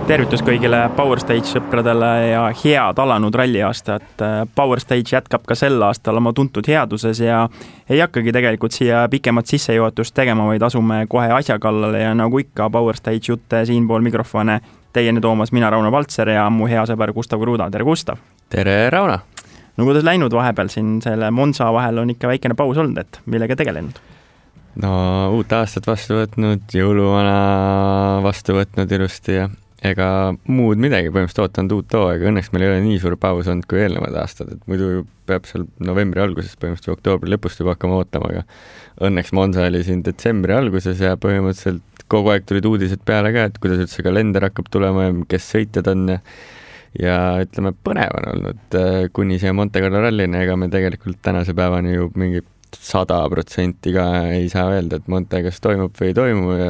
Tervitus kõigile Power Stage sõpradele ja head alanud ralliaastat. Power Stage jätkab ka sel aastal oma tuntud headuses ja ei hakkagi tegelikult siia pikemat sissejuhatust tegema, vaid asume kohe asja kallale ja nagu ikka Power Stage jutte siinpool mikrofone teieni toomas mina Rauno Valtser ja mu hea sõber Gustav Kruda. Tere Gustav! Tere Rauno! No kuidas läinud vahepeal siin selle Monza vahel on ikka väikene paus olnud, et millega tegelenud? No uut aastat vastu võtnud, jõuluvana vastu võtnud ilusti ja ega muud midagi, põhimõtteliselt ootanud uut hooaega. Õnneks meil ei ole nii suur paus olnud kui eelnevad aastad, et muidu peab seal novembri alguses, põhimõtteliselt oktoobri lõpust juba hakkama ootama, aga õnneks Monza oli siin detsembri alguses ja põhimõtteliselt kogu aeg tulid uudised peale ka, et kuidas üldse kalender hakkab tulema ja kes sõitjad on ja ütleme, põnev on olnud kuni siia Monte Carlo rallini, ega me tegelikult tänase päevani ju mingi 100% ka ei saa öelda, et Monte kas toimub või ei toimu ja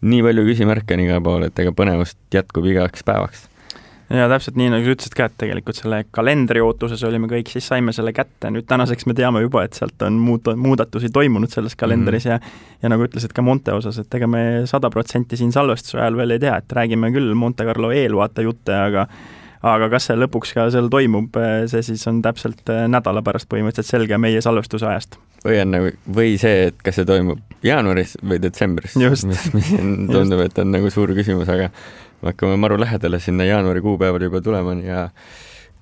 nii palju küsimärke on iga pool, et ega põnevust jätkub igaks päevaks. Ja täpselt nii, nagu sa ütlesid ka, et tegelikult selle kalendri ootuses olime kõik, siis saime selle kätte. Nüüd tänaseks me teame juba, et sealt on muudatusi toimunud selles kalendris ja nagu ütlesid ka Monte osas, et ega me 100% siin salvestuse ajal veel ei tea, et räägime küll Monte Carlo eelvaata jutte, aga kas see lõpuks ka seal toimub, see siis on täpselt nädala pärast põhimõtteliselt selge meie salvestuse ajast. Või see, et kas see toimub jaanuaris või detsembris, mis tundub, et on nagu suur küsimus, aga me hakkame maru lähedale sinna jaanuari kuupäeval juba tulema ja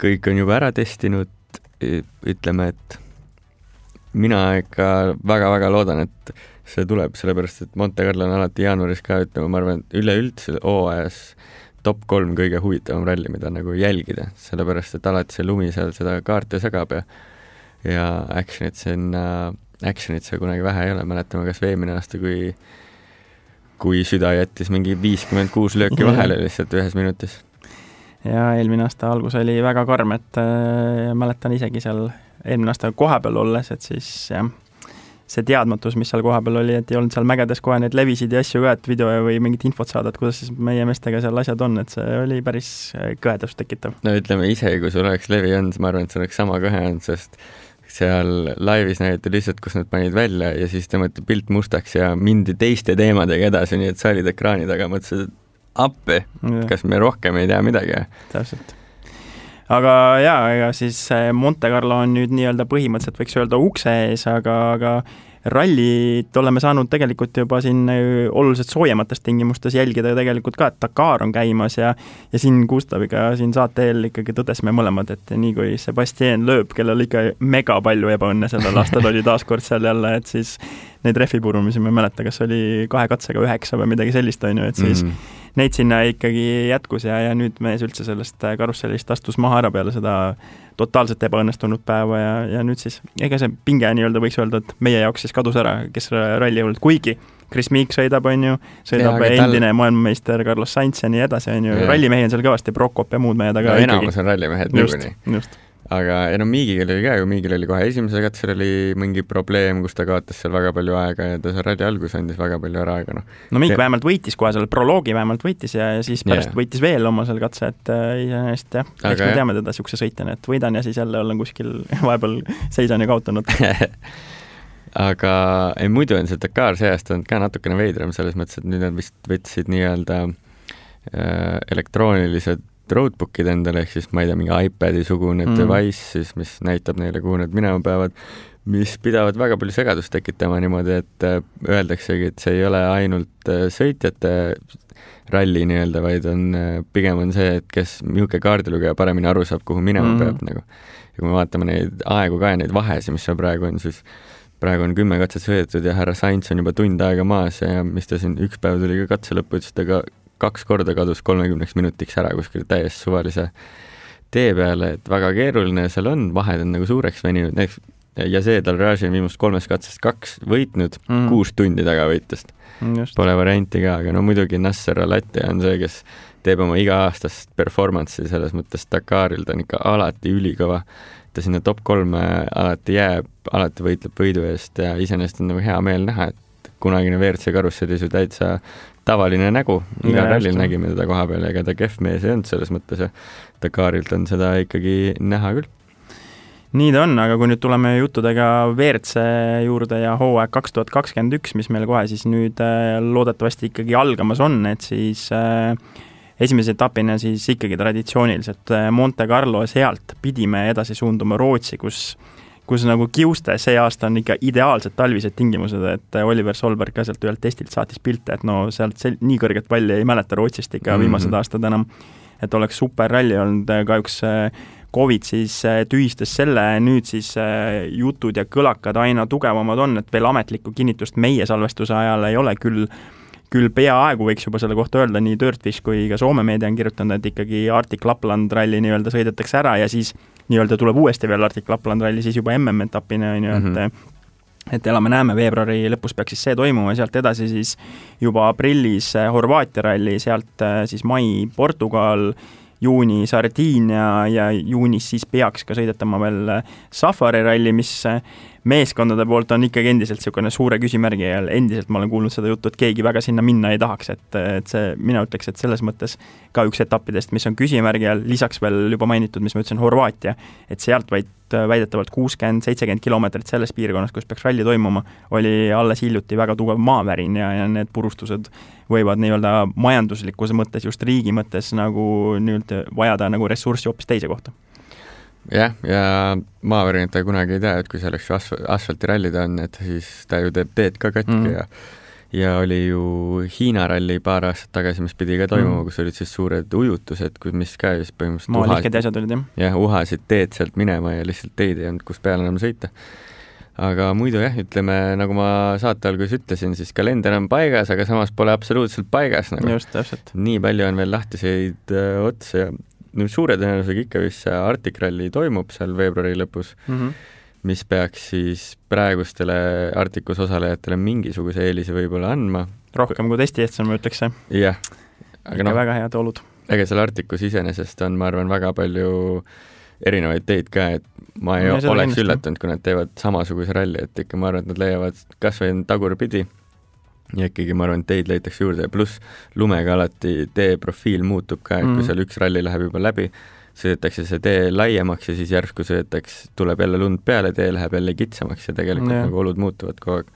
kõik on juba ära testinud. Ütleme, et mina ikka väga-väga loodan, et see tuleb, sellepärast, et Monte Carlo on alati jaanuaris ka, ütleme, ma arvan, üleüldse hooajas top 3 kõige huvitavam ralli, mida nagu jälgida, sellepärast, et alati see lumi seal seda kaarte segab ja actionit see kunagi vähe ei ole. Mäletame kas eelmine aasta, kui süda jättis mingi 56 lööki vahele lihtsalt ühes minutis. Ja eelmine aasta algus oli väga karm, et mäletan isegi seal eelmine aasta koha peal olles, et siis see teadmatus, mis seal koha peal oli, et ei olnud seal mägedes kohe neid levisid ja asju ka, et video või mingit infot saada, et kuidas siis meie meestega seal asjad on, et see oli päris kõhedust tekitav. No ütleme ise, kui sul oleks levi olnud, ma arvan, et see oleks sama kõhe olnud, sest seal laivis näidati lihtsalt, kus nad panid välja ja siis tõmmati pilt mustaks ja mindi teiste teemadega edasi, nii et sa olid ekraani taga, mõtlesid appi, kas me rohkem ei tea midagi. Täpselt. Aga ega siis Monte Carlo on nüüd nii-öelda põhimõtteliselt võiks öelda ukse ees, aga rallit oleme saanud tegelikult juba siin oluliselt soojemates tingimustes jälgida tegelikult ka, et Dakar on käimas ja siin Gustaviga siin saate eel ikkagi tõdesime mõlemad, et nii kui Sebastien Loeb, kellel ikka mega palju ebaõnne sellel aastal oli taaskord seal jälle, et siis neid rehvipurumisi ma ei mäleta, kas oli 2 katsega 9 või midagi sellist on ju, et siis neid sinna ikkagi jätkus ja nüüd mees üldse sellest karussellist astus maha ära peale seda totaalselt ebaõnnestunud päeva ja nüüd siis, ega see pinge nii-öelda võiks öelda, et meie jaoks siis kadus ära, kes ralli olnud, kuigi Chris Meek sõidab, on ju, sõidab endine maailmameister Carlos Sainz ja nii edasi, on ju, rallimehi on seal kõvasti, Prokop ja muud mehed, aga enamus on rallimehed niikuinii. Just. Aga Miigil oli ka, Miigil oli kohe esimese katsel oli mingi probleem, kus ta kaotas seal väga palju aega ja ta seal ralli algus andis väga palju ära aega. No Miik vähemalt võitis kohe seal, proloogi vähemalt võitis ja siis pärast võitis veel oma seal katse, et iseenesest jah, eks me teame teda siukse sõitjana, et võidan ja siis jälle olen kuskil vahepeal seisan ja kaotanud. Aga muidu on see Dakar see aasta on ka natukene veidram selles mõttes, et nüüd on vist võtsid nii-öelda elektroonilised roadbookid endale, ehk siis ma ei tea, mingi iPadi sugune device, siis, mis näitab neile, kuhu nad minema peavad, mis pidavad väga palju segadust tekitama niimoodi, et öeldaksegi, et see ei ole ainult sõitjate ralli nii-öelda, vaid pigem on see, et kes niisugune kaardilugeja paremini aru saab, kuhu minema peab nagu. Ja kui me vaatame neid aegu ka ja neid vahesi, mis seal praegu on, siis praegu on 10 katset sõidetud ja härra Sainz on juba tund aega maas ja mis ta siin üks päev tuli ka katse lõppu, ütles ta ka 2 korda kadus 30 minutiks ära kuskil täiesti suvalise tee peale, et väga keeruline seal on, vahed on nagu suureks veninud ja see Dalraži on viimast 3 katsest 2 võitnud, 6 tundi taga võitust. Pole varianti ka, aga no muidugi Nasser Al-Attiyah on see, kes teeb oma iga-aastast performance'i selles mõttes Dakaril, ta on ikka alati ülikõva, ta sinna top 3 alati jääb, alati võitleb võidu eest ja iseenesest on nagu hea meel näha, et kunagine WRC karussellis ju täitsa tavaline nägu, iga rallil nägime teda koha peal, ega ta kehv mees ei olnud selles mõttes ja Dakarilt on seda ikkagi näha küll. Nii ta on, aga kui nüüd tuleme juttudega WRC juurde ja hooaeg 2021, mis meil kohe siis nüüd loodetavasti ikkagi algamas on, et siis esimese etapina siis ikkagi traditsiooniliselt Monte Carlo, sealt pidime edasi suunduma Rootsi, kus nagu kiuste see aasta on ikka ideaalsed talvised tingimused, et Oliver Solberg ka sealt ühelt testilt saatis pilte, et no sealt nii kõrget palli ei mäleta Rootsist ikka viimased aastad enam, et oleks super ralli olnud, kahjuks Covid siis tühistas selle, nüüd siis jutud ja kõlakad aina tugevamad on, et veel ametlikku kinnitust meie salvestuse ajal ei ole, küll peaaegu võiks juba selle kohta öelda, nii Dirtfish kui ka Soome meedia on kirjutanud, et ikkagi Arctic Lapland ralli nii-öelda sõidetakse ära ja siis nii-öelda tuleb uuesti veel Arctic Lapland ralli, siis juba MM-etapina on ju, et elame-näeme, veebruari lõpus peaks siis see toimuma, sealt edasi siis juba aprillis Horvaatia ralli, sealt siis mai Portugal, juuni Sardiinia ja juunis siis peaks ka sõidetama veel Safari ralli, mis meeskondade poolt on ikkagi endiselt niisugune suure küsimärgi ja endiselt ma olen kuulnud seda juttu, et keegi väga sinna minna ei tahaks, et see, mina ütleks, et selles mõttes ka üks etappidest, mis on küsimärgi all, lisaks veel juba mainitud, mis ma ütlesin, Horvaatia, et sealt vaid väidetavalt 60-70 kilomeetrit selles piirkonnas, kus peaks ralli toimuma, oli alles hiljuti väga tugev maavärin ja need purustused võivad nii-öelda majanduslikkuse mõttes, just riigi mõttes nagu nii-öelda vajada nagu ressurssi hoopis teise kohta. Jah, ja maavärinat ta kunagi ei tea, et kui selleks asfaltirallid on, et siis ta ju teeb teed ka katki ja oli ju Hiina ralli paar aastat tagasi, mis pidi ka toimuma, kus olid siis suured ujutused, mis ka just põhimõtteliselt maalihked asjad olid, jah, uhasid teed sealt minema ja lihtsalt teid ei olnud, kus peale enam sõita. Aga muidu jah, ütleme, nagu ma saate alguses ütlesin, siis kalender on paigas, aga samas pole absoluutselt paigas. Nagu. Just, täpselt. Nii palju on veel lahtiseid otsa ja suure tõenäosusega ikka vist see Arctic ralli toimub seal veebruari lõpus, mis peaks siis praegustele Arcticus osalejatele mingisuguse eelise võib-olla andma. Rohkem kui testi eest, ma ütleks see. Jah. Aga väga head olud. Aga seal Arcticus iseenesest on, ma arvan, väga palju erinevaid teid ka, et ma ei oleks üllatunud, kui nad teevad samasuguse ralli, et ikka ma arvan, et nad leiavad kas või tagurpidi ja ikkagi ma arvan, et teid leitakse juurde ja pluss lumega alati tee profiil muutub ka, et kui seal üks ralli läheb juba läbi, sõidetakse see tee laiemaks ja siis järsku tuleb jälle lund peale, tee läheb jälle kitsamaks ja tegelikult nagu olud muutuvad kogu aeg.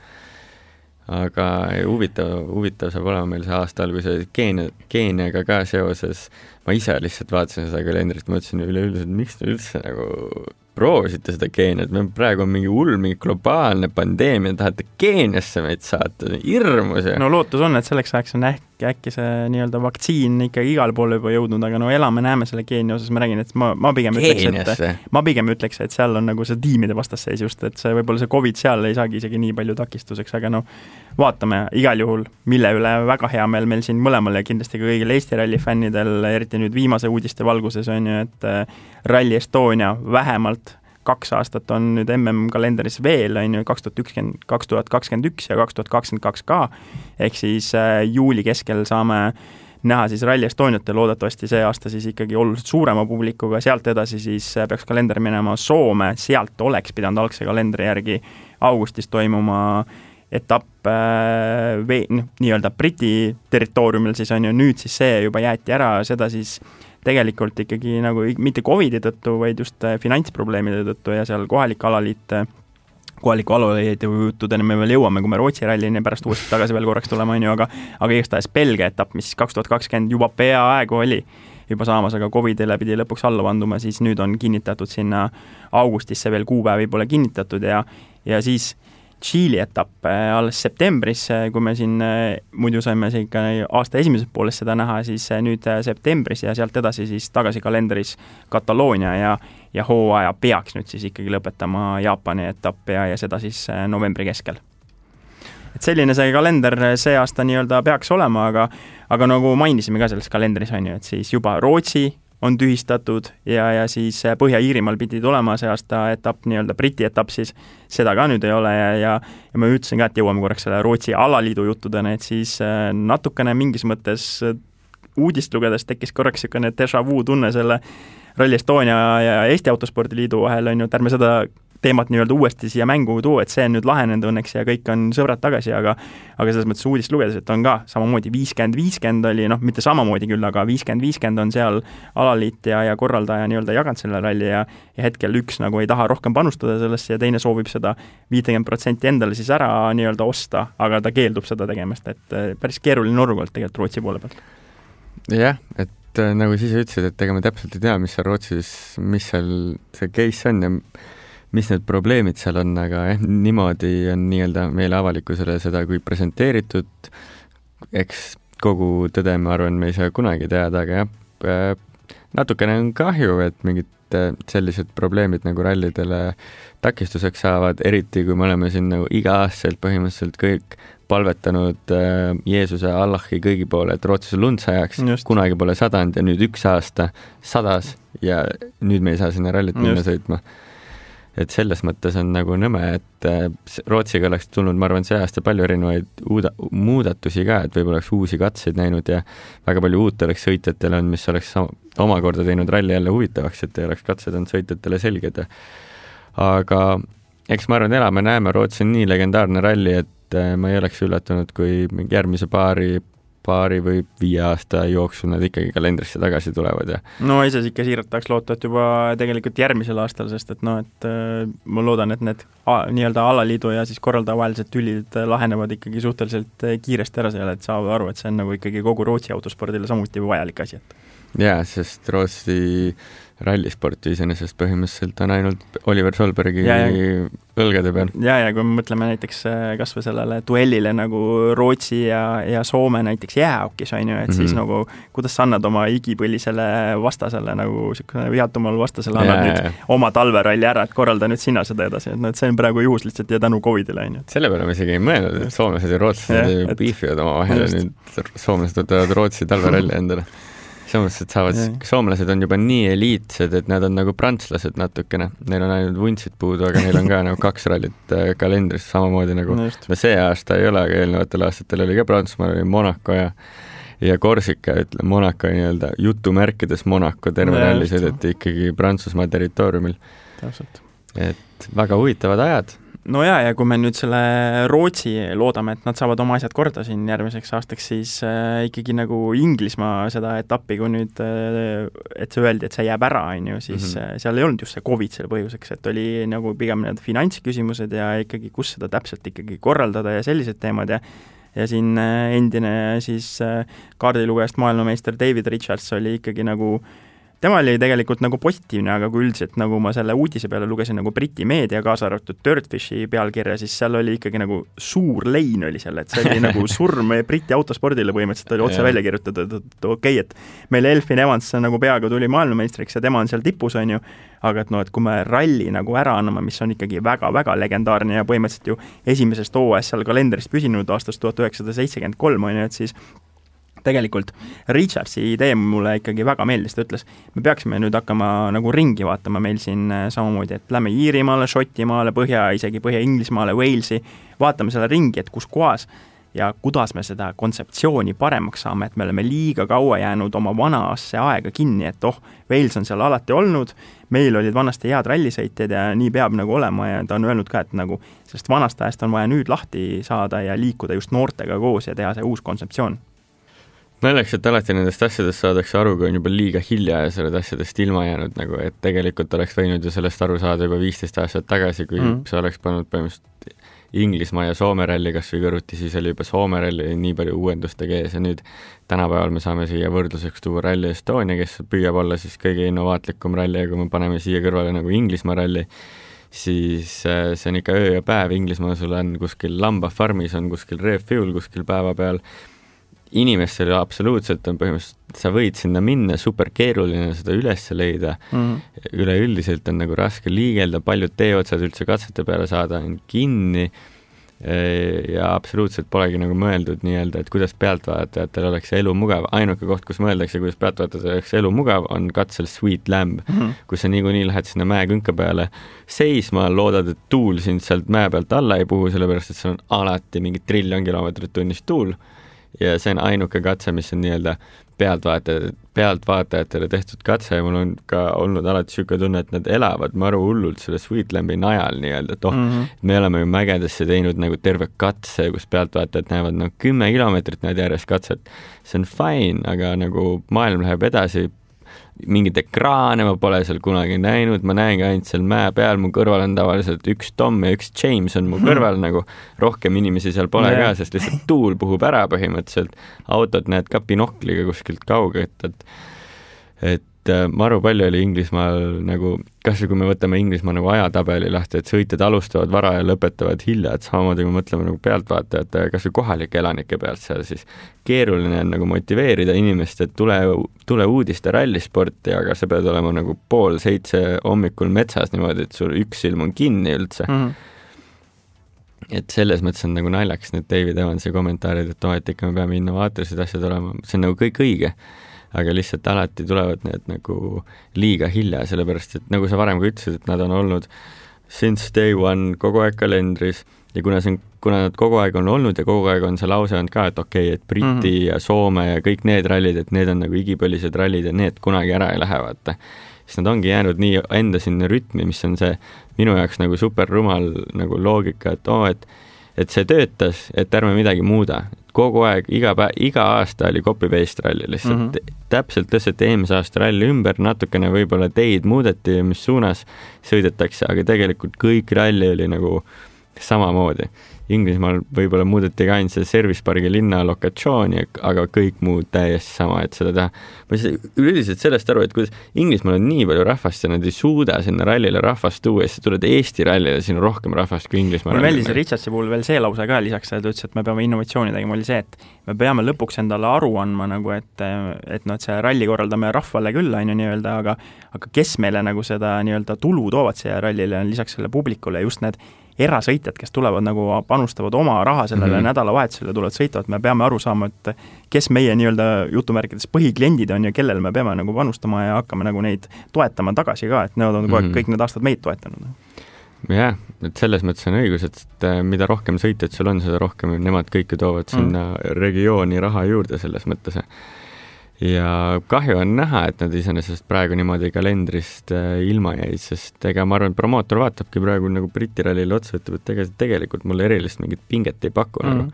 Aga huvitav saab olema meil see aasta alguse Keeniaga ka seoses. Ma ise lihtsalt vaatasin seda kalendrit, ma ütlesin üleüldiselt, miks te üldse nagu proovisite seda Keeniat, me praegu on mingi hull, mingi globaalne pandeemia, tahate Keeniasse meid saata, hirmus. No lootus on, et selleks ajaks on äkki see nii-öelda vaktsiin ikkagi igal pool juba jõudnud, aga no elame-näeme selle Keenia osas, ma räägin, et ma pigem ütleks, et seal on nagu see tiimide vastasseis just, et see võib-olla see COVID seal ei saagi isegi nii palju takistuseks, aga no vaatame igal juhul, mille üle väga hea meil siin mõlemal ja kindlasti ka kõigil Eesti ralli fännidel, eriti nüüd viimase uudiste valguses on ju, et Rally Estonia vähemalt 2 aastat on nüüd MM-kalendris veel, on ju 2021 ja 2022 ka, ehk siis juuli keskel saame näha siis Rally Estoniat ja loodetavasti see aasta siis ikkagi oluliselt suurema publikuga, sealt edasi siis peaks kalender minema Soome, sealt oleks pidanud algse kalendri järgi augustis toimuma etapp nii-öelda Briti territooriumil siis on ju, nüüd siis see juba jäeti ära, seda siis tegelikult ikkagi nagu mitte COVID-i tõttu, vaid just finantsprobleemide tõttu ja seal kohaliku alaliidu juttudeni me veel jõuame, kui me Rootsi rallini pärast uuesti tagasi veel korraks tulema, on ju, aga igatahes Belgia etapp, mis 2020 juba peaaegu oli juba saamas, aga COVID-ile pidi lõpuks alla vanduma, siis nüüd on kinnitatud sinna augustisse veel kuupäevi pole kinnitatud ja siis Tšiili etapp alles septembris, kui me siin muidu saime ikka aasta esimeses pooles seda näha, siis nüüd septembris ja sealt edasi siis tagasi kalendris Kataloonia ja hooaja peaks nüüd siis ikkagi lõpetama Jaapani etapp ja seda siis novembri keskel. Et selline see kalender see aasta nii-öelda peaks olema, aga nagu mainisime ka selles kalendris on ju, et siis juba Rootsi on tühistatud ja siis Põhja-Iirimaal pidi tulema see aasta etapp, nii-öelda Briti etapp, siis seda ka nüüd ei ole ja ma ütlesin ka, et jõuame korraks selle Rootsi alaliidu juttudena, et siis natukene mingis mõttes uudist lugedes tekkis korraks niisugune déjà vu tunne selle Rally Estonia ja Eesti Autospordiliidu vahel on ju, et ärme seda teemat nii-öelda uuesti siia mängu tuua, et see on nüüd lahenenud õnneks ja kõik on sõbrad tagasi, aga selles mõttes uudist lugedes, et on ka samamoodi 50-50 oli, noh, mitte samamoodi küll, aga 50-50 on seal alaliit ja korraldaja nii-öelda jaganud selle ralli ja hetkel üks nagu ei taha rohkem panustada sellesse ja teine soovib seda 50% endale siis ära nii-öelda osta, aga ta keeldub seda tegemast, et päris keeruline olukord tegelikult Rootsi poole pealt. jah, et nagu siis ütlesid, et ega me täpselt ei tea, mis seal Rootsis, mis seal see case on ja mis need probleemid seal on, aga niimoodi on nii-öelda meile avalikkusele seda kui presenteeritud, eks kogu tõde, ma arvan, me ei saa kunagi teada, aga jah, natukene on kahju, et mingid sellised probleemid nagu rallidele takistuseks saavad, eriti kui me oleme siin nagu iga-aastaselt põhimõtteliselt kõik palvetanud Jeesuse Allahi kõigi poole, et Rootsis lund sajaks, kunagi pole sadanud ja nüüd üks aasta sadas ja nüüd me ei saa sinna rallit minna sõitma. Et selles mõttes on nagu nõme, et Rootsiga oleks tulnud, ma arvan, see aasta palju erinevaid muudatusi ka, et võib-olla oleks uusi katseid näinud ja väga palju uut oleks sõitjatele on, mis oleks omakorda teinud ralli jälle huvitavaks, et ei oleks katsed on sõitjatele selged. Aga eks ma arvan, elame, näeme, Rootsi on nii legendaarne ralli, et ma ei oleks üllatunud, kui järgmise paari või 5 aasta jooksul nad ikkagi kalendrisse tagasi tulevad. Ja. No ise ikka siiralt tahaks loota, et juba tegelikult järgmisel aastal, sest et et ma loodan, et need nii-öelda alaliidu ja siis korraldaja vahelised tülid lahenevad ikkagi suhteliselt kiiresti ära seal, et saavad aru, et see on nagu ikkagi kogu Rootsi autospordile samuti vajalik asi. Jaa, sest Rootsi rallisporti iseenesest põhimõtteliselt on ainult Oliver Solbergi õlgade peal. Ja kui me mõtleme näiteks kas või sellele duellile nagu Rootsi ja Soome näiteks jäähokis on ju, et siis nagu kuidas sa annad oma igipõlisele vastasele nagu vihatumal vastasele annad nüüd oma talveralli ära, et korralda nüüd sina seda edasi, et see on praegu juhus lihtsalt ja tänu Covidile on ju. Selle peale me isegi ei mõelnud, et soomlased ja rootslased piifivad oma vahel ja nüüd soomlased võtavad Rootsi talveralli endale. Soomlased on juba nii eliitsed, et nad on nagu prantslased natukene. Neil on ainult vuntsid puudu, aga neil on ka nagu 2 rallit kalendris samamoodi nagu. No see aasta ei ole, aga eelnevatel aastatel oli ka Prantsusmaal, oli Monaco ja Korsika, ütleme Monaco nii-öelda jutumärkides Monaco terve ralli sõideti ikkagi Prantsusmaa territooriumil. Täpselt. Et väga huvitavad ajad. No ja kui me nüüd selle Rootsi loodame, et nad saavad oma asjad korda siin järgmiseks aastaks, siis ikkagi nagu Inglismaa seda etappi, kui nüüd, et see öeldi, et see jääb ära, on ju, siis seal ei olnud just see COVID selle põhjuseks, et oli nagu pigem need finantsküsimused ja ikkagi, kus seda täpselt ikkagi korraldada ja sellised teemad ja siin endine siis kaardilugejast maailmameister David Richards oli ikkagi nagu tema oli tegelikult nagu positiivne, aga kui üldiselt nagu ma selle uudise peale lugesin nagu Briti meedia, kaasa arvatud Dirtfishi pealkirja, siis seal oli ikkagi nagu suur lein oli seal, et see oli nagu surm Briti autospordile põhimõtteliselt oli otse välja kirjutatud, et okei, et meil Elfyn Evans nagu peaaegu tuli maailmameistriks ja tema on seal tipus, on ju, aga et kui me ralli nagu ära anname, mis on ikkagi väga-väga legendaarne ja põhimõtteliselt ju esimesest hooajast seal kalendrist püsinud aastast 1973, on ju, et siis tegelikult Richardsi idee mulle ikkagi väga meeldis, ta ütles, me peaksime nüüd hakkama nagu ringi vaatama meil siin samamoodi, et lähme Iirimaale, Šotimaale, isegi Põhja-Inglismaale, Walesi, vaatame selle ringi, et kus kohas ja kuidas me seda kontseptsiooni paremaks saame, et me oleme liiga kaua jäänud oma vanasse aega kinni, et Wales on seal alati olnud, meil olid vanasti head rallisõitjad ja nii peab nagu olema ja ta on öelnud ka, et nagu sellest vanast ajast on vaja nüüd lahti saada ja liikuda just noortega koos ja teha see uus kontseptsioon. Mõeleks, et alati nendest asjadest saadakse aru, kui on juba liiga hilja ja sellest asjadest ilma jäänud, nagu, et tegelikult oleks võinud ju sellest aru saada juba 15 aastat tagasi, kui see oleks pannud põhimõtteliselt Inglismaa ja Soome ralli kas või kõrvuti, siis oli juba Soome ralli nii palju uuendustega ees ja nüüd tänapäeval me saame siia võrdluseks tuua Rally Estonia, kes püüab olla siis kõige innovaatlikum ralli ja kui me paneme siia kõrvale nagu Inglismaa ralli, siis see on ikka öö ja päev, Inglismaa sul on kuskil lambafarmis, on kuskil refuel kuskil päeva peal, inimestele absoluutselt on põhimõtteliselt, sa võid sinna minna, super keeruline seda üles leida, üleüldiselt on nagu raske liigelda, paljud teeotsad üldse katsete peale saada on kinni ja absoluutselt polegi nagu mõeldud nii-öelda, et kuidas pealtvaatajatel oleks elu mugav, ainuke koht, kus mõeldakse, kuidas pealtvaatajatel oleks elu mugav, on katsel Sweet Lamb, kus sa niikuinii lähed sinna mäekünka peale seisma, loodad, et tuul sind sealt mäe pealt alla ei puhu, sellepärast et see on alati mingi 1 triljon kilomeetrit tunnis tuul ja see on ainuke katse, mis on nii-öelda pealtvaatajatele tehtud katse ja mul on ka olnud alati siuke tunne, et nad elavad maru hullult selle Sweet Lambi najal nii-öelda, et me oleme ju mägedesse teinud nagu terve katse, kus pealtvaatajad näevad nagu 10 kilomeetrit näed järjest katset. See on fine, aga nagu maailm läheb edasi, mingid ekraane ma pole seal kunagi näinud, ma näengi ainult seal mäe peal, mu kõrval on tavaliselt üks Tom ja üks James on mu kõrval nagu, rohkem inimesi seal pole ka, sest lihtsalt tuul puhub ära põhimõtteliselt, autod näed ka binokliga kuskilt kaugelt, et maru palju oli Inglismaal nagu, kas või kui me võtame Inglismaa nagu ajatabeli lahti, et sõitjad alustavad vara ja lõpetavad hilja, et samamoodi kui mõtleme nagu pealtvaatajate, kas või kohalike elanike pealt seal, siis keeruline on nagu motiveerida inimest, et tule uudiste rallisporti, aga sa pead olema nagu 6:30 hommikul metsas niimoodi, et sul üks silm on kinni üldse. Et selles mõttes on nagu naljaks need David Evansi kommentaarid, et ikka me peame innovaatorised asjad olema, see on nagu kõik õige, aga lihtsalt alati tulevad need nagu liiga hilja, sellepärast et nagu sa varem ka ütlesid, et nad on olnud since day one kogu aeg kalendris ja kuna nad kogu aeg on olnud ja kogu aeg on see lause olnud ka, et okei, et Briti ja Soome ja kõik need rallid, et need on nagu igipõlised rallid ja need kunagi ära ei lähe, vaata. Siis nad ongi jäänud nii enda sinna rütmi, mis on see minu jaoks nagu super rumal nagu loogika, et see töötas, et ärme midagi muuda. Kogu aeg, iga aasta oli copy-paste ralli lihtsalt. Täpselt tõsteti eelmise aasta ralli ümber, natukene võib-olla teid muudeti, mis suunas sõidetakse, aga tegelikult kõik ralli oli nagu samamoodi. Inglismaal võib-olla muudeti ka ainult see servicepargi linna lokatsiooni, aga kõik muud täiesti sama, et seda teha. Ma üldiselt sellest aru, et kuidas Inglismaal on nii palju rahvast ja nad ei suuda sinna rallile rahvast tuua ja siis tuled Eesti rallile, siin on rohkem rahvast kui Inglismaal. Mul meeldis Richardsi puhul veel see lause ka lisaks, et ütles, et me peame innovatsiooni tegema, oli see, et me peame lõpuks endale aru andma nagu, et see ralli korraldame rahvale küll, nii-öelda, aga kes meile nagu seda nii-öelda tulu toovad siia rallile on lisaks selle publikule just need erasõitjad, kes tulevad nagu panustavad oma raha sellele nädalavahetusele, tulevad sõitavad, me peame aru saama, et kes meie nii-öelda jutumärkides põhikliendid on ja kellel me peame nagu panustama ja hakkame nagu neid toetama tagasi ka, et need on kõik need aastad meid toetanud. Jah, et selles mõttes on õigus, et mida rohkem sõitjad sul on, seda rohkem nemad kõike toovad sinna regiooni raha juurde selles mõttes. Ja kahju on näha, et nad iseenesest praegu niimoodi kalendrist ilma jäid, sest ega ma arvan, et promootor vaatabki praegu nagu Briti rallile otsa, ütleb, et tegelikult mulle erilist mingit pinget ei paku. Nagu.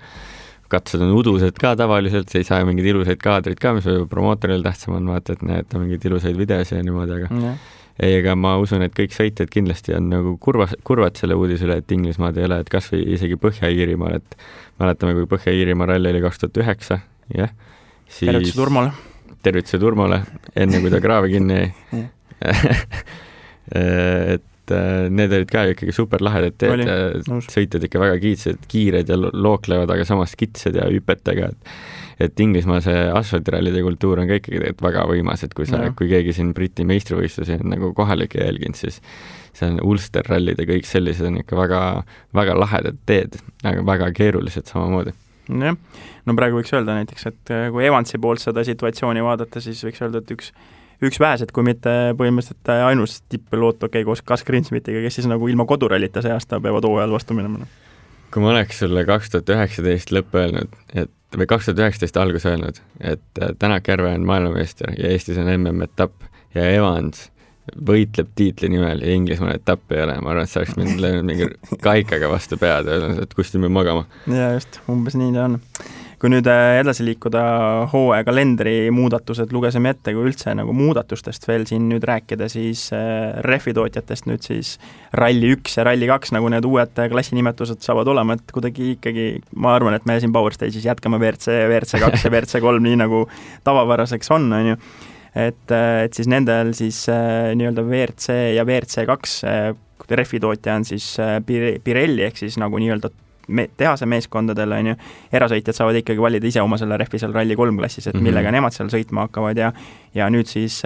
Katsed on udused ka tavaliselt, ei saa mingeid ilusaid kaadrid ka, mis promootoril tähtsam on, vaata, et näed mingeid ilusaid videosi ja niimoodi, aga ega ma usun, et kõik sõitjad kindlasti on nagu kurvad selle uudisele, et Inglismaad ei ole, et kas või isegi Põhja-Iirimaal, et mäletame, kui Põhja-Iirimaa ralli oli 2009, jah. Tervituse Turmole, enne kui ta kraavi kinni jäi. Et need olid ka ikkagi super lahedad teed, sõitjad ikka väga kiired ja looklevad, aga samas kitsed ja hüpetega, et Inglismaa see asfaltirallide kultuur on ka ikkagi väga võimas, et kui keegi siin Briti meistrivõistlusi on nagu kohalik jälginud, siis see on Ulster rallid ja kõik sellised on ikka väga, väga lahedad teed, aga väga keerulised samamoodi. Jah, no praegu võiks öelda näiteks, et kui Evansi poolt seda situatsiooni vaadata, siis võiks öelda, et üks vähes, et kui mitte põhimõtteliselt ainus tipppiloot, koos Gus Greensmithiga, kes siis nagu ilma kodurallita see aasta peavad hooajal vastu minema. Kui ma oleks sulle 2019 lõpp öelnud, või 2019 algus öelnud, et Tänak Järve on maailmameister ja Eestis on MM-etapp ja Evans võitleb tiitli nimel ja Inglismaal etapp ei ole. Ma arvan, et see oleks mind löönud mingi kaikaga vastu pead ja öelnud, et kusti me magama. Ja just, umbes nii ta on. Kui nüüd edasi liikuda hooaja kalendri muudatused, lugesime ette, kui üldse nagu muudatustest veel siin nüüd rääkida, siis rehvitootjatest nüüd siis Rally 1 ja Rally 2, nagu need uued klassinimetused saavad olema, et kuidagi ikkagi, ma arvan, et me siin Power Stage'is jätkame WRC 2 ja WRC 3 nii nagu tavapäraseks on ju. Et siis nendel siis nii-öelda WRC ja WRC 2 rehvitootja on siis Pirelli ehk siis nagu nii-öelda tehase meeskondadel on ju, erasõitjad saavad ikkagi valida ise oma selle rehvi seal Rally 3 klassis, et millega nemad seal sõitma hakkavad ja nüüd siis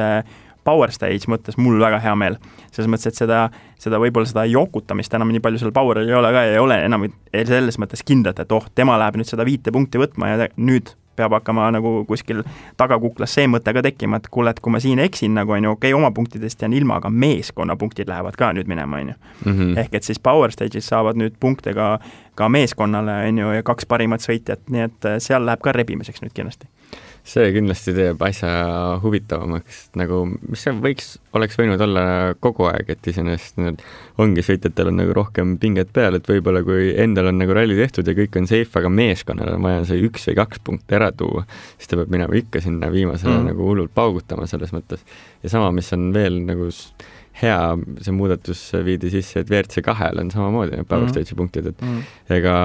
Power Stage mõttes mul väga hea meel. Selles mõttes, et seda võib-olla seda jokutamist enam nii palju seal Poweril ei ole ka, ei ole enam selles mõttes kindlalt, et tema läheb nüüd seda 5 punkti võtma ja nüüd peab hakkama nagu kuskil tagakuklas see mõte ka tekkima, et kuule, et kui ma siin eksin nagu on ju, oma punktidest jään ilma, aga meeskonna punktid lähevad ka nüüd minema on ju. Ehk et siis Power Stage'is saavad nüüd punkte ka meeskonnale on ju ja 2 parimat sõitjat, nii et seal läheb ka rebimiseks nüüd kindlasti. see kindlasti teeb asja huvitavamaks, nagu mis see oleks võinud olla kogu aeg, et iseenesest ongi sõitjatel on nagu rohkem pinget peal, et võib-olla kui endal on nagu ralli tehtud ja kõik on safe, aga meeskonnal on vaja see 1 või 2 punkti ära tuua, siis ta peab minema ikka sinna viimasele nagu hullult paugutama selles mõttes. Ja sama, mis on veel nagu hea, see muudatus viidi sisse, et WRC2-l on samamoodi need Power Stage'i punktid, et ega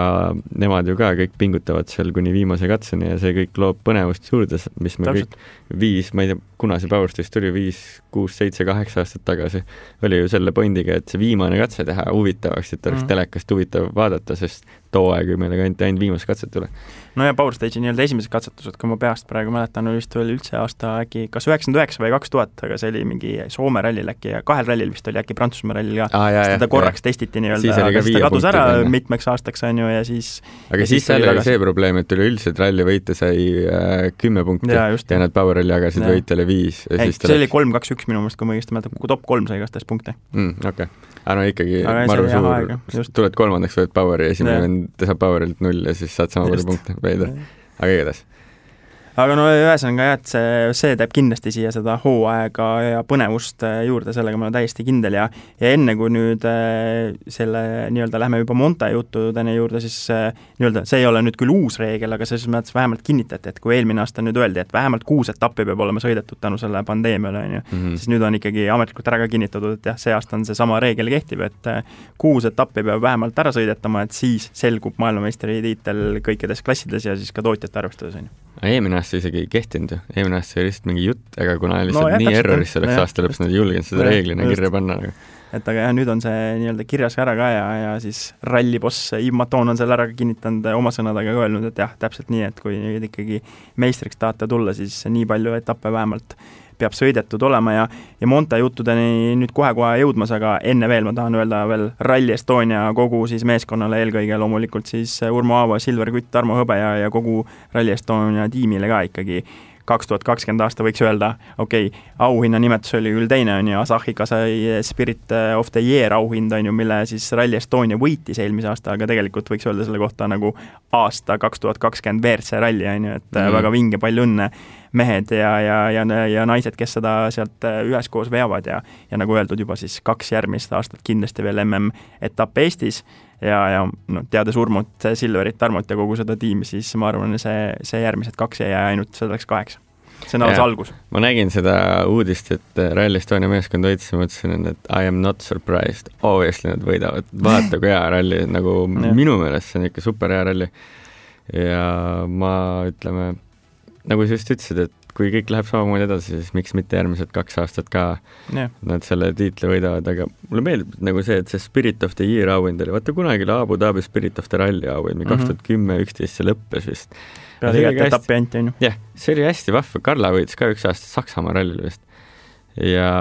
nemad ju ka kõik pingutavad seal kuni viimase katseni ja see kõik loob põnevust juurde, mis me kõik 5, ma ei tea, kuna see Power Stage tuli 5, 6, 7, 8 aastat tagasi, oli ju selle pointiga, et see viimane katse teha huvitavaks, et oleks telekast huvitav vaadata, sest too aeg meil ainult viimased katset tule. No ja Power Stage'i nii-öelda esimesed katsetused, kui ma peast praegu mäletan, vist oli üldse aasta äkki kas 99 või 2000, aga see oli mingi Soome rallil äkki ja 2 rallil vist oli äkki Prantsusmaa rallil ka, seda korraks testiti nii-öelda, aga siis ta kadus ära mitmeks aastaks on ju ja siis aga siis seal oli see probleem, et üleüldiselt ralli võita sai 10 punkti ja nad Power Ralli jagasid võitjale 5. See oli 3-2-1 minu meelest, kui ma õigesti mäletan, top 3 sai igastest punkte. Okei. Aga no ikkagi maru suur, tuled 3. võid Poweri, esimene saab Powerilt 0 ja siis saad sama palju punkte veida. Aga igatahes. Aga no ühesõnaga jah, et see teeb kindlasti siia seda hooaega ja põnevust juurde, sellega ma olen täiesti kindel ja enne kui nüüd selle nii-öelda lähme juba Monte juttudeni juurde, siis nii-öelda see ei ole nüüd küll uus reegel, aga selles mõttes vähemalt kinnitati, et kui eelmine aasta nüüd öeldi, et vähemalt 6 etappi peab olema sõidetud tänu selle pandeemiale, siis nüüd on ikkagi ametlikult ära ka kinnitatud, et jah, see aasta on see sama reegel kehtib, et 6 etappi peab vähemalt ära sõidetama, et siis selgub maailmameistri tiitel kõikides klassides ja siis ka tootjate arvestades on ju. Eelmine aasta isegi ei kehtinud ju, eelmine aasta oli lihtsalt mingi jutt, aga kuna lihtsalt nii erroris selleks aasta lõpus, nad ei julgenud seda reeglina kirja panna. Et aga jah, nüüd on see nii-öelda kirjas ära ka ja siis ralliboss Yves Maton on selle ära kinnitanud oma sõnadega ka öelnud, et jah, täpselt nii, et kui nüüd ikkagi meistriks tahate tulla, siis nii palju etappe vähemalt peab sõidetud olema ja Monte juttudeni nüüd kohe-kohe jõudmas, aga enne veel ma tahan öelda veel Rally Estonia kogu siis meeskonnale, eelkõige loomulikult siis Urmo Aavo, Silver Kütt, Tarmo Hõbe ja kogu Rally Estonia tiimile ka ikkagi 2020 aasta võiks öelda, auhinna nimetus oli küll teine, on ju, Asahika sai Spirit of the Year auhind, on ju, mille siis Rally Estonia võitis eelmise aasta, aga tegelikult võiks öelda selle kohta nagu aasta 2020 WRC ralli, on ju, et väga vinge, palju õnne mehed ja naised, kes seda sealt üheskoos veavad ja nagu öeldud juba siis 2 järgmist aastat kindlasti veel MM-etapp Eestis ja no, teades Urmut, Silverit, Tarmot ja kogu seda tiimi, siis ma arvan, see järgmised 2 ja ainult selleks 8. See on alles algus. Ma nägin seda uudist, et Rally Estonia meeskond võitis ja mõtlesin, et I am not surprised. Obviously nad võidavad. Vaata kui hea ralli, nagu minu meelest see on ikka super hea ralli. Ja ma ütleme, nagu sa just ütlesid, et kui kõik läheb samamoodi edasi, siis miks mitte järgmised 2 aastat ka nad selle tiitli võidavad, aga mulle meeldib nagu see, et see Spirit of the Year auhind oli, vaata kunagi Abu Dhabi Spirit of the Rally auhind, 2010-11 see lõppes vist. Peale igat etappi ainult, on ju. Jah, see oli hästi vahva, Karla võitis ka 1 aasta Saksamaa rallil vist. Ja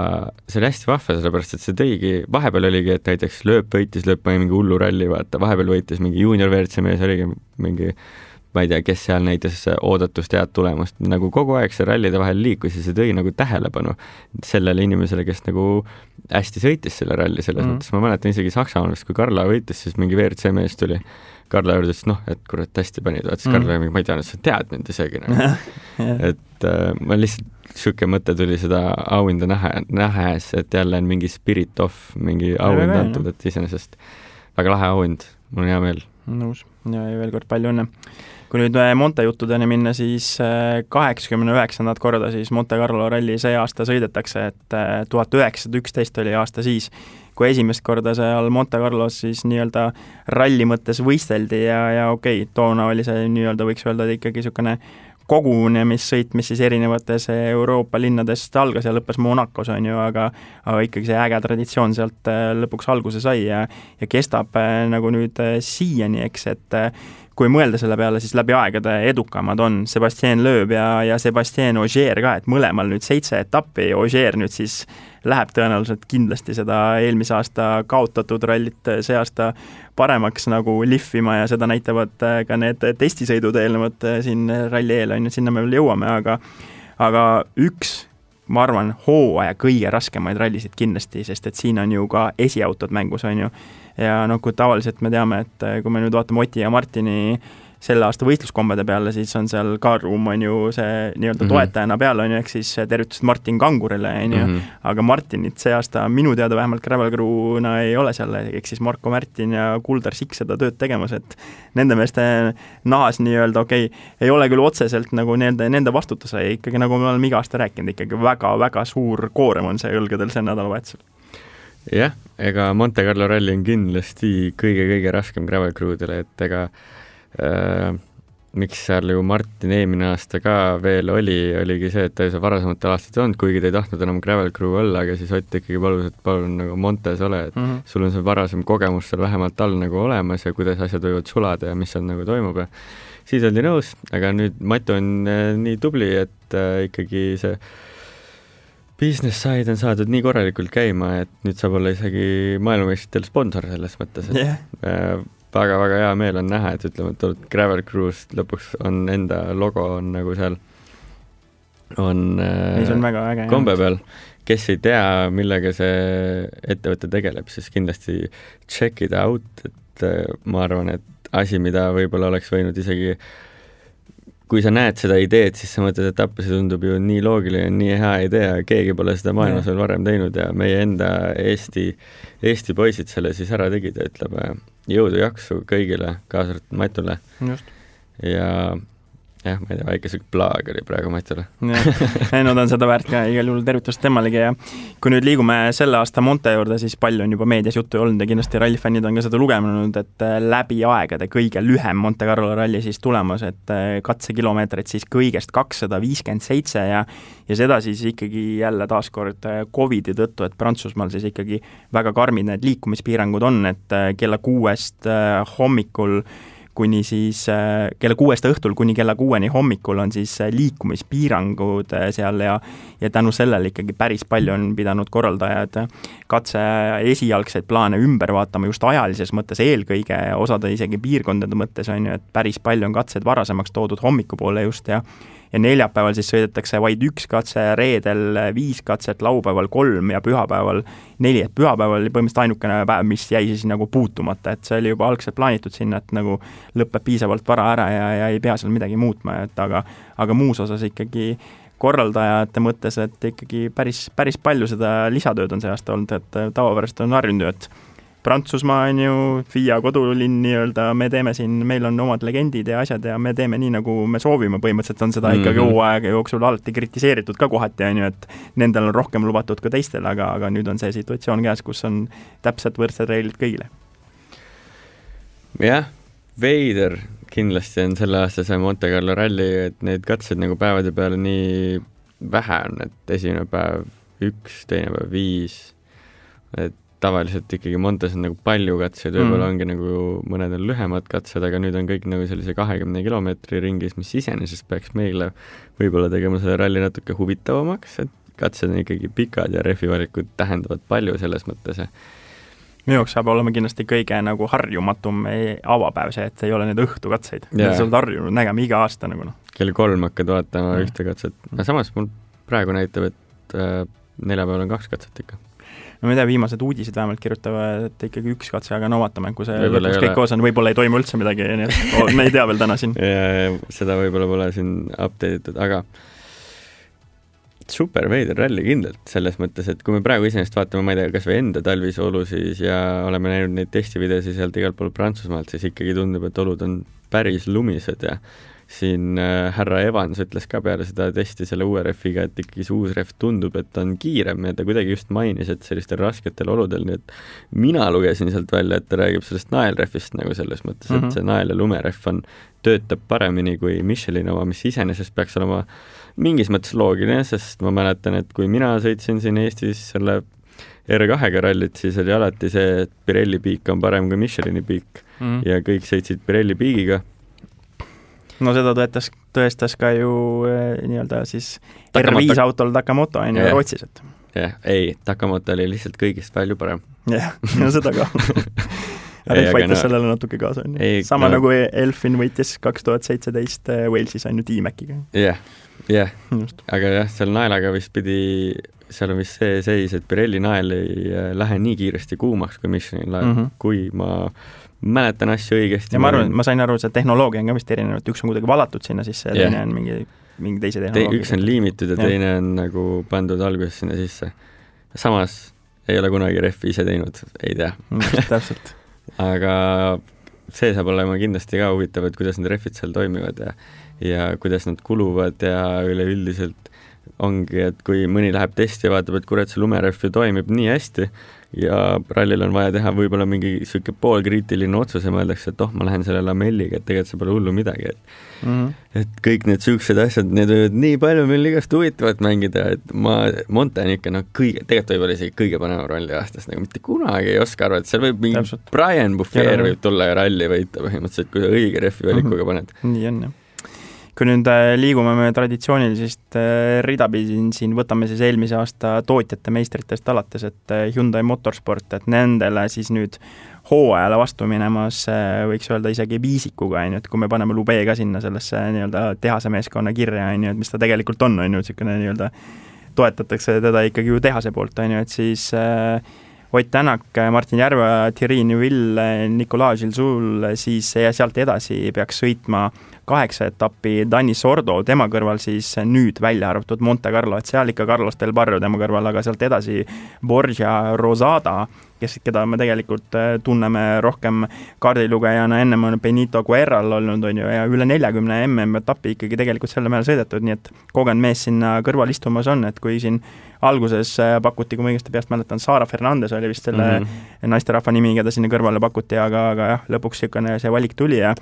see oli hästi vahva, sellepärast, et see tõigi, vahepeal oligi, et näiteks lööp mingi hullu ralli, vaata, vahepeal võitis mingi junior WRC mees, oligi mingi ma ei tea, kes seal näitas oodatust head tulemust, nagu kogu aeg see rallide vahel liikus ja see tõi nagu tähelepanu sellele inimesele, kes nagu hästi sõitis selle ralli selles mõttes. Ma mäletan isegi Saksamaal, kui Karla võitis, siis mingi WRC mees tuli. Karla juurde, et kurat hästi panid, vaatas Karla ja ma ei tea, sa tead mind isegi. Et ma lihtsalt siuke mõte tuli seda auhinda nähes, et jälle on mingi spirit off, mingi auhind antud, et iseenesest väga lahe auhind, mul on hea meel. Nõus ja veel kord palju õnne. Kui nüüd Monte juttudeni minna, siis 89. korda siis Monte Carlo ralli see aasta sõidetakse, et 1911 oli aasta siis, kui esimest korda seal Monte Carlos siis nii-öelda ralli mõttes võisteldi ja toona oli see nii-öelda võiks öelda ikkagi niisugune kogunemissõit, mis siis erinevates Euroopa linnadest algas ja lõppes Monacos, on ju, aga ikkagi see äge traditsioon sealt lõpuks alguse sai ja kestab nagu nüüd siiani, eks, et kui mõelda selle peale, siis läbi aegade edukamad on Sébastien Loeb ja Sébastien Ogier ka, et mõlemal nüüd 7 etappi, Ogier nüüd siis läheb tõenäoliselt kindlasti seda eelmise aasta kaotatud rallit see aasta paremaks nagu lihvima ja seda näitavad ka need testisõidud eelnevad siin ralli eel, on ju, sinna me veel jõuame, aga üks, ma arvan, hooaja kõige raskemaid rallisid kindlasti, sest et siin on ju ka esiautod mängus, on ju, ja kui tavaliselt me teame, et kui me nüüd vaatame Oti ja Martini selle aasta võistluskombede peale, siis on seal Kaarum on ju see nii-öelda toetajana peal on ju, ehk siis tervitust Martin Kangurile on ju, aga Martinit see aasta minu teada vähemalt Gravel Crew'na ei ole seal, ehk siis Marko Märtin ja Kuldar Sikk seda tööd tegemas, et nende meeste nahas nii-öelda ei ole küll otseselt nagu nende vastutuse, ikkagi nagu me oleme iga aasta rääkinud, ikkagi väga-väga suur koorem on see õlgadel see nädalavahetusel. Jah, ega Monte Carlo ralli on kindlasti kõige-kõige raskem Gravel Crew'dele, et ega miks seal ju Martin eelmine aasta ka veel oligi see, et ta ei saa varasematel aastatel olnud, kuigi ta ei tahtnud enam Gravel Crew olla, aga siis Ott ikkagi palus, et palun nagu Montes ole, et sul on see varasem kogemus seal vähemalt all nagu olemas ja kuidas asjad võivad sulada ja mis seal nagu toimub ja siis oldi nõus, aga nüüd Matu on nii tubli, et ikkagi see business side on saadud nii korralikult käima, et nüüd saab olla isegi maailmameistritel sponsor selles mõttes, et väga-väga hea meel on näha, et ütleme, et Gravel Crew's lõpuks on enda logo on nagu seal on väga äge, kombe peal. Kes ei tea, millega see ettevõte tegeleb, siis kindlasti check it out, et ma arvan, et asi, mida võib-olla oleks võinud isegi kui sa näed seda ideed, siis sa mõtled, et appi see tundub ju nii loogiline, nii hea idee, keegi pole seda maailmas veel varem teinud ja meie enda Eesti poisid selle siis ära tegid ja ütleb jõudu jaksu kõigile, kaasa arvatud Matule. Just. Ja jah, ma ei tea, väike siuke plaag oli praegu Matule. No ta on seda väärt ka, igal juhul tervitust temmalegi ja kui nüüd liigume selle aasta Monte juurde, siis palju on juba meedias juttu olnud ja kindlasti rallifännid on ka seda lugenud, et läbi aegade kõige lühem Monte Carlo ralli siis tulemas, et katsekilomeetrid siis kõigest 257 ja seda siis ikkagi jälle taaskord Covidi tõttu, et Prantsusmaal siis ikkagi väga karmid need liikumispiirangud on, et kella 6 hommikul kuni siis kella 6 õhtul kuni kella 6 hommikul on siis liikumispiirangud seal ja tänu sellele ikkagi päris palju on pidanud korraldajad katse esialgseid plaane ümber vaatama just ajalises mõttes eelkõige, osade isegi piirkondade mõttes on ju, et päris palju on katsed varasemaks toodud hommikupoole just ja neljapäeval siis sõidetakse vaid 1 katse, reedel 5 katset, laupäeval 3 ja pühapäeval 4, et pühapäeval oli põhimõtteliselt ainukene päev, mis jäi siis nagu puutumata, et see oli juba algselt plaanitud sinna, et nagu lõpeb piisavalt vara ära ja ei pea seal midagi muutma, et aga muus osas ikkagi korraldajate mõttes, et ikkagi päris palju seda lisatööd on see aasta olnud, et tavapärast on harjunud, et Prantsusmaa on ju FIA kodulinn nii-öelda, me teeme siin, meil on omad legendid ja asjad ja me teeme nii, nagu me soovime, põhimõtteliselt on seda ikkagi hooaega jooksul alati kritiseeritud ka kohati, on ju, et nendel on rohkem lubatud ka teistel, aga nüüd on see situatsioon käes, kus on täpselt võrdsed reeglid kõigile. Jah, veider kindlasti on selle aasta see Monte Carlo ralli, et need katsed nagu päevade peale nii vähe on, et esimene päev 1, teine päev 5, et tavaliselt ikkagi Montes on nagu palju katseid, võib-olla ongi nagu mõned on lühemad katsed, aga nüüd on kõik nagu sellise 20 kilomeetri ringis, mis iseenesest peaks meile võib-olla tegema selle ralli natuke huvitavamaks, et katsed on ikkagi pikad ja rehvivalikud tähendavad palju selles mõttes. Minu jaoks saab olema kindlasti kõige nagu harjumatum avapäev see, et ei ole need õhtukatseid. Need sa oled harjunud nägema iga aasta nagu. Kell 3 hakkad vaatama ühte katset. Aga samas mul praegu näitab, et neljapäeval on 2 katset ikka. No ma ei tea, viimased uudised vähemalt kirjutavad, et ikkagi 1 katse, aga no vaatame, kui see lõpuks kõik koos on, võib-olla ei toimu üldse midagi, nii et me ei tea veel täna siin. Ja seda võib-olla pole siin update'itud, aga super veider ralli kindlalt selles mõttes, et kui me praegu iseenesest vaatame, ma ei tea, kas või enda talvisolu siis ja oleme näinud neid testivideosi sealt igalt pool Prantsusmaalt, siis ikkagi tundub, et olud on päris lumised ja siin härra Evans ütles ka peale seda testi selle uue refiga, et ikkagi see uus ref tundub, et on kiirem ja ta kuidagi just mainis, et sellistel rasketel oludel, nii et mina lugesin sealt välja, et ta räägib sellest naelrefist nagu selles mõttes, et see nael- ja lumeref töötab paremini kui Michelin oma, mis iseenesest peaks olema mingis mõttes loogiline, sest ma mäletan, et kui mina sõitsin siin Eestis selle R2-ga rallit, siis oli alati see, et Pirelli piik on parem kui Michelini piik ja kõik sõitsid Pirelli piigiga. No seda tõestas ka ju nii-öelda siis R5 autol Takamoto on ju Rootsis, et. Jah, ei, Takamoto oli lihtsalt kõigist palju parem. Jah, no seda ka. Ref aitas sellele natuke kaasa. Sama nagu Elfin võitis 2017 Walesis on ju T-Maciga. Jah, aga jah, seal naelaga vist pidi, seal on vist see seis, et Pirelli nael ei lähe nii kiiresti kuumaks kui Michelin nael, kui ma mäletan asju õigesti. Ja ma sain aru, see tehnoloogia on ka vist erinev, et üks on kuidagi valatud sinna sisse ja teine on mingi teise tehnoloogia. Üks on liimitud ja teine on nagu pandud alguses sinna sisse. Samas ei ole kunagi refi ise teinud, ei tea. Täpselt. Aga see saab olema kindlasti ka huvitav, et kuidas need refid seal toimivad ja kuidas nad kuluvad ja üleüldiselt ongi, et kui mõni läheb testi ja vaatab, et kurat, see lumeref ju toimib nii hästi ja rallil on vaja teha võib-olla mingi siuke poolkriitiline otsus ja mõeldakse, et ma lähen selle lamelliga, et tegelikult see pole hullu midagi. Et kõik need siuksed asjad, need võivad nii palju meil igast huvitavat mängida, et Monte on ikka tegelikult võib-olla isegi kõige panev ralli aastas, nagu mitte kunagi ei oska arvata, seal võib mingi Brian Buffer võib tulla ja ralli võita põhimõtteliselt, kui õige refi valikuga paned. Nii on, jah. Kui nüüd liigume me traditsioonilisest ridapidi siin, võtame siis eelmise aasta tootjate meistritest alates, et Hyundai Motorsport, et nendele siis nüüd hooajale vastu minemas võiks öelda isegi viisikuga, et kui me paneme Lube ka sinna sellesse nii-öelda tehase meeskonna kirja, et mis ta tegelikult on, niisugune nii-öelda toetatakse teda ikkagi ju tehase poolt, et siis Ott Tänak, Martin Järve, Thierry Neuville, Nicolas Gilsoul, siis sealt edasi peaks sõitma 8 etappi Dani Sordo, tema kõrval siis nüüd välja arvatud Monte Carlo, et seal ikka Carlos Del Barrio tema kõrval, aga sealt edasi Borja Rosada, keda me tegelikult tunneme rohkem kaardilugejana, ennem on Benito Guerral olnud, ja üle 40 MM-etappi ikkagi tegelikult selle meele sõidetud, nii et kogenud mees sinna kõrval istumas on, et kui siin alguses pakuti, kui ma õigesti peast mäletan, Sara Fernandez oli vist selle naisterahva nimi, keda sinna kõrvale pakuti, aga jah, lõpuks see valik tuli ja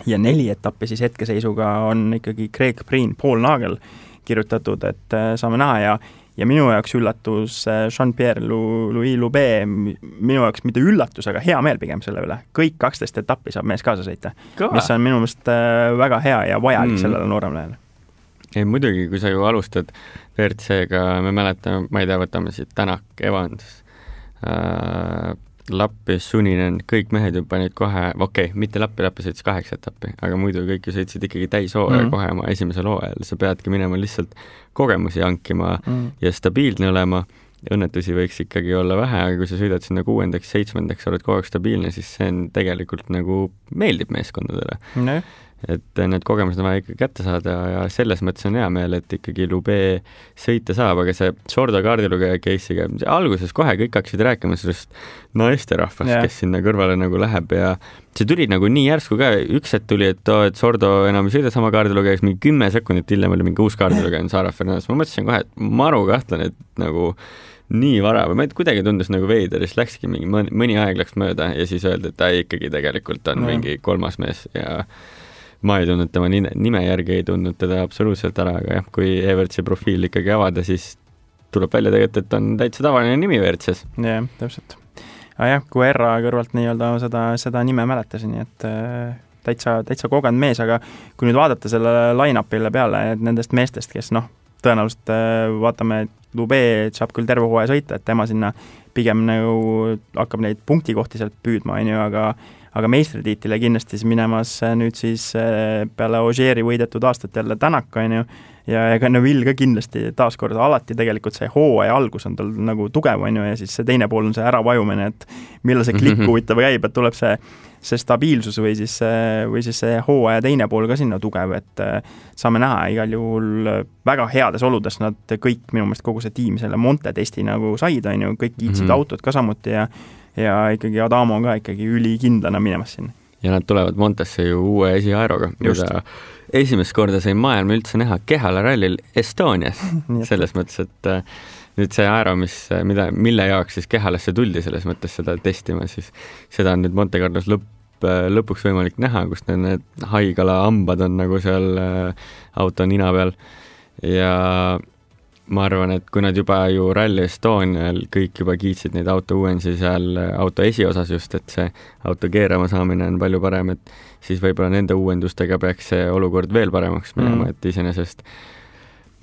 4 etappi siis hetkeseisuga on ikkagi Craig Breen, Paul Nagel kirjutatud, et saame näha ja minu jaoks üllatus Jean-Pierre Louis Lube, minu jaoks mitte üllatus, aga hea meel pigem selle üle. Kõik 12 etappi saab mees kaasa sõita, mis on minu meelest väga hea ja vajalik sellele nooremlehele. Ei, muidugi, kui sa ju alustad WRC-ga, me mäletame, ma ei tea, võtame siit Tänak, Evans, Lappi, Suninen, kõik mehed ju panid kohe, mitte Lappi sõitis 8 etappi, aga muidu kõik ju sõitsid ikkagi täishooaja kohe oma esimesel hooajal, sa peadki minema lihtsalt kogemusi hankima ja stabiilne olema, õnnetusi võiks ikkagi olla vähe, aga kui sa sõidad sinna 6., 7., oled kogu aeg stabiilne, siis see on tegelikult nagu meeldib meeskondadele. Et need kogemused on vaja ikka kätte saada ja selles mõttes on hea meel, et ikkagi Lube sõita saab, aga see Sordo kaardilugeja case'iga, alguses kohe kõik hakkasid rääkima sellest naisterahvast, kes sinna kõrvale nagu läheb ja see tuli nagu nii järsku ka, üks hetk tuli, et Sordo enam ei sõida sama kaardilugeja, mingi 10 sekundit hiljem oli mingi uus kaardilugeja, Sara Fernandez, ma mõtlesin kohe, et maru kahtlen, et nagu nii vara või ma kuidagi tundus nagu veider, siis läkski mingi mõni aeg läks mööda ja siis öeldi, et ta ikkagi tegelikult on mingi 3. mees ja ma ei tundnud tema nime järgi, ei tundnud teda absoluutselt ära, aga jah, kui Evertsi profiil ikkagi avada, siis tuleb välja tegelikult, et on täitsa tavaline nimi WRC-s. Jah, täpselt. Aga jah, kui Erra kõrvalt nii-öelda seda nime mäletasin, et täitsa kogenud mees, aga kui nüüd vaadata selle line-upile peale nendest meestest, kes tõenäoliselt vaatame, et Lube saab küll terve hooaja sõita, et tema sinna pigem nagu hakkab neid punktikohti sealt püüdma, aga meistritiitile kindlasti minemas nüüd siis peale Ogieri võidetud aastat jälle Tänak, ja ega Neville ka kindlasti taaskord alati tegelikult see hooaja algus on tal nagu tugev, ja siis see teine pool on see äravajumine, et millal see klikk huvitav käib, et tuleb see stabiilsus või siis see hooaja teine pool ka sinna tugev, et saame näha igal juhul väga heades oludes, nad kõik minu meelest kogu see tiim selle Monte testi nagu said, kõik kiitsid autod ka samuti ja ikkagi Adamo ka ikkagi ülikindlana minemas sinna. Ja nad tulevad Montesse ju uue esiaeroga, mida esimest korda sai maailma üldse näha Kehala rallil Estonias, selles mõttes, et nüüd see aero, mille jaoks siis Kehalasse tuldi selles mõttes seda testima, siis seda on nüüd Monte Carlos lõpuks võimalik näha, kus need haigala hambad on nagu seal auto nina peal ja ma arvan, et kui nad juba ju Rally Estonial kõik juba kiitsid neid auto uuendusi seal auto esiosas just, et see auto keerama saamine on palju parem, et siis võib-olla nende uuendustega peaks see olukord veel paremaks minema, et iseenesest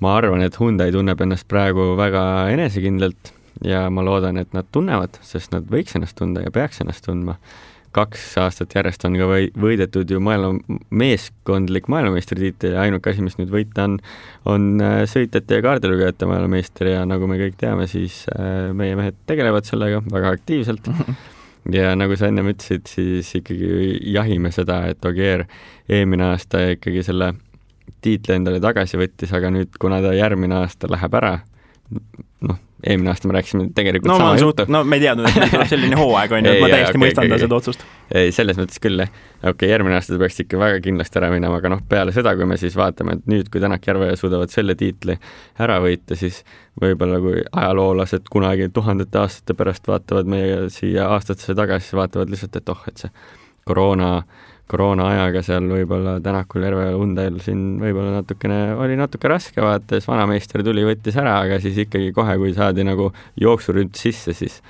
ma arvan, et Hyundai tunneb ennast praegu väga enesekindlalt ja ma loodan, et nad tunnevad, sest nad võiks ennast tunda ja peaks ennast tundma. 2 aastat järjest on ka võidetud ju meeskondlik maailmameistritiitel ja ainuke asi, mis nüüd võita on sõitjate ja kaardilugejate maailmameister ja nagu me kõik teame, siis meie mehed tegelevad sellega väga aktiivselt ja nagu sa ennem ütlesid, siis ikkagi jahime seda, et Ogier eelmine aasta ikkagi selle tiitli endale tagasi võttis, aga nüüd, kuna ta järgmine aasta läheb ära, eelmine aasta me rääkisime tegelikult sama juttu. Me ei teadnud, et meil tuleb selline hooaeg, on ju, et ma täiesti mõistan seda otsust. Ei, selles mõttes küll, järgmine aasta ta peaks ikka väga kindlasti ära minema, aga peale seda, kui me siis vaatame, et nüüd, kui Tänak Järveoja suudavad selle tiitli ära võita, siis võib-olla kui ajaloolased kunagi 1000 aastate pärast vaatavad meie siia aastatesse tagasi, siis vaatavad lihtsalt, et et see koroona ajaga seal võib-olla Tänakul Järveojal Hyundai'l siin võib-olla oli natuke raske vaata, siis vanameister tuli, võttis ära, aga siis ikkagi kohe, kui saadi nagu jooksuründ sisse, siis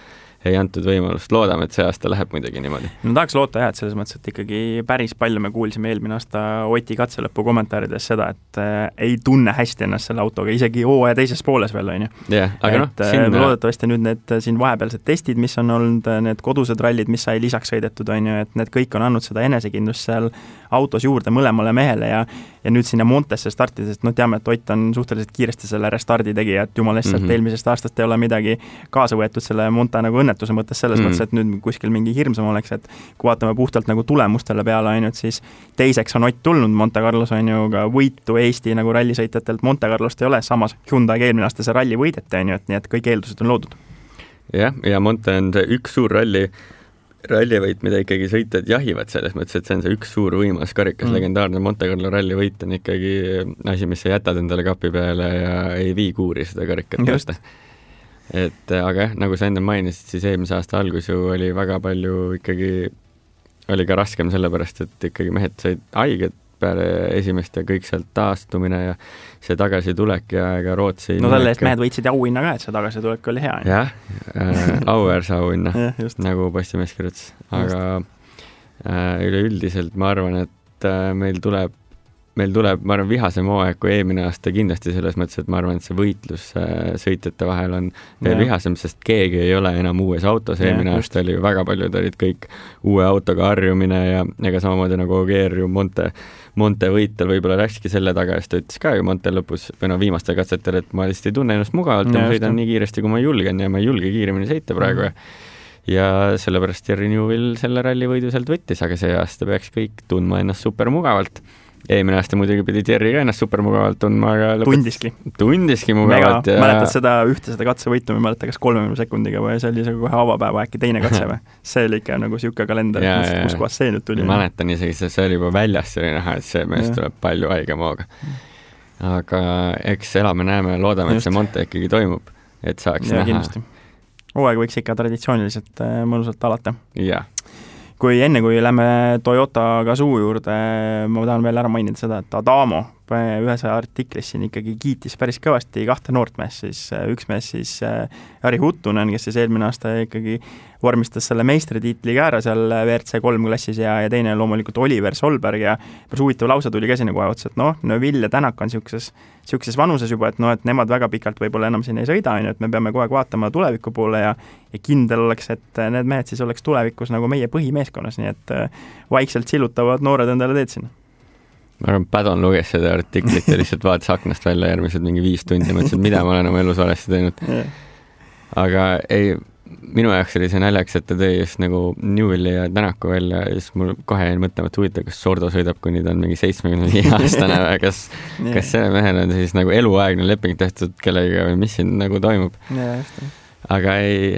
ei antud võimalust. Loodame, et see aasta läheb muidugi niimoodi. No tahaks loota et selles mõttes, et ikkagi päris palju me kuulsime eelmine aasta Oti katselõpu kommentaarides seda, et ei tunne hästi ennast selle autoga, isegi hooaja teises pooles veel, on ju. Aga loodetavasti nüüd need siin vahepealsed testid, mis on olnud, need kodused rallid, mis sai lisaks sõidetud, on ju, et need kõik on andnud seda enesekindlust seal autos juurde mõlemale mehele ja nüüd sinna Montesse startides, teame, et Ott on suhteliselt kiiresti selle restardi tegija, et jumal lihtsalt eelmisest aastast ei ole midagi kaasa võetud selle Monta nagu õnnetuse mõttes selles mõttes, et nüüd kuskil mingi hirmsam oleks, et kui vaatame puhtalt nagu tulemustele peale ainult, siis teiseks on Ott tulnud Monte Carlos, on ju, ka võitu Eesti nagu rallisõitjatelt Monte Carlost ei ole, samas Hyundai eelmine aasta see ralli võideti, on ju, et nii et kõik eeldused on loodud. Ja Monte on see üks suur rallivõit, mida ikkagi sõitjad jahivad selles mõttes, et see on see üks suur võimas karikas, legendaarne Monte Carlo rallivõit on ikkagi asi, mis sa jätad endale kapi peale ja ei vii kuuri seda karikat. Aga nagu sa enne mainisid, siis eelmise aasta algus ju oli väga palju ikkagi, oli ka raskem sellepärast, et ikkagi mehed said haiged peale esimest ja kõik sealt taastumine ja see tagasitulek ja Rootsi selle eest mehed võitsid auhinna ka, et see tagasitulek oli hea. Jah, auväärse auhinna, nagu postimees kirjutas. Aga üleüldiselt ma arvan, et meil tuleb, ma arvan, vihasem hooaeg kui eelmine aasta kindlasti selles mõttes, et ma arvan, et see võitlus sõitjate vahel on veel vihasem, sest keegi ei ole enam uues autos. Eelmine aasta oli ju väga paljud, olid kõik uue autoga harjumine ja ega samamoodi nagu Ogier ju Monte võitel võib-olla läkski selle taga, ja ta ütles ka ju Monte lõpus või viimastel katsetel, et ma lihtsalt ei tunne ennast mugavalt ja ma sõidan nii kiiresti, kui ma julgen ja ma ei julge kiiremini sõita praegu ja sellepärast Jerry Newell selle rallivõidu sealt võttis, aga see aasta peaks kõik tundma ennast super mugavalt. Eelmine aasta muidugi pidi Jerry ka ennast super mugavalt tundma, aga tundiski mugavalt. Mäletad seda katsevõitu, ma mäletan kas 30 sekundiga või see oli kohe avapäeva äkki teine katse või? See oli ikka nagu siuke kalender, kus kohas see nüüd tuli. Mäletan isegi, see oli juba väljas, see oli näha, et see mees tuleb palju haigem hooga. Aga eks elame, näeme ja loodame, et see Monte ikkagi toimub, et saaks näha. Kindlasti. Hooaeg võiks ikka traditsiooniliselt mõnusalt alata. Jah. Kui lähme Toyota Gazoo juurde, ma tahan veel ära mainida seda, et Adamo ühes artiklis siin ikkagi kiitis päris kõvasti kahte noort mees, siis üks mees siis Jari Huttunen, kes siis eelmine aasta ikkagi vormistas selle meistritiitli ka ära seal WRC3 klassis ja teine loomulikult Oliver Solberg ja päris huvitav lause tuli käsi nagu otsa, et Neville ja Tänak on siukses vanuses juba, et nemad väga pikalt võib-olla enam siin ei sõida, et me peame kogu aeg vaatama tuleviku poole ja kindel oleks, et need mehed siis oleks tulevikus nagu meie põhimeeskonnas, nii et vaikselt sillutavad noored endale teed sinna. Ma arvan, Padon luges seda artiklit ja lihtsalt vaatas aknast välja järgmised mingi 5 tundi, mõtlesin, mida ma olen oma elus valesti teinud. Aga ei, minu jaoks oli see naljaks, et ta tõi just nagu Newelli ja Tänaku välja ja siis mul kohe jäi mõtlema, et huvitav, kas Sordo sõidab, kuni ta on mingi 75-aastane või kas selle mehel on siis nagu eluaegne leping tehtud kellega või mis siin nagu toimub. Aga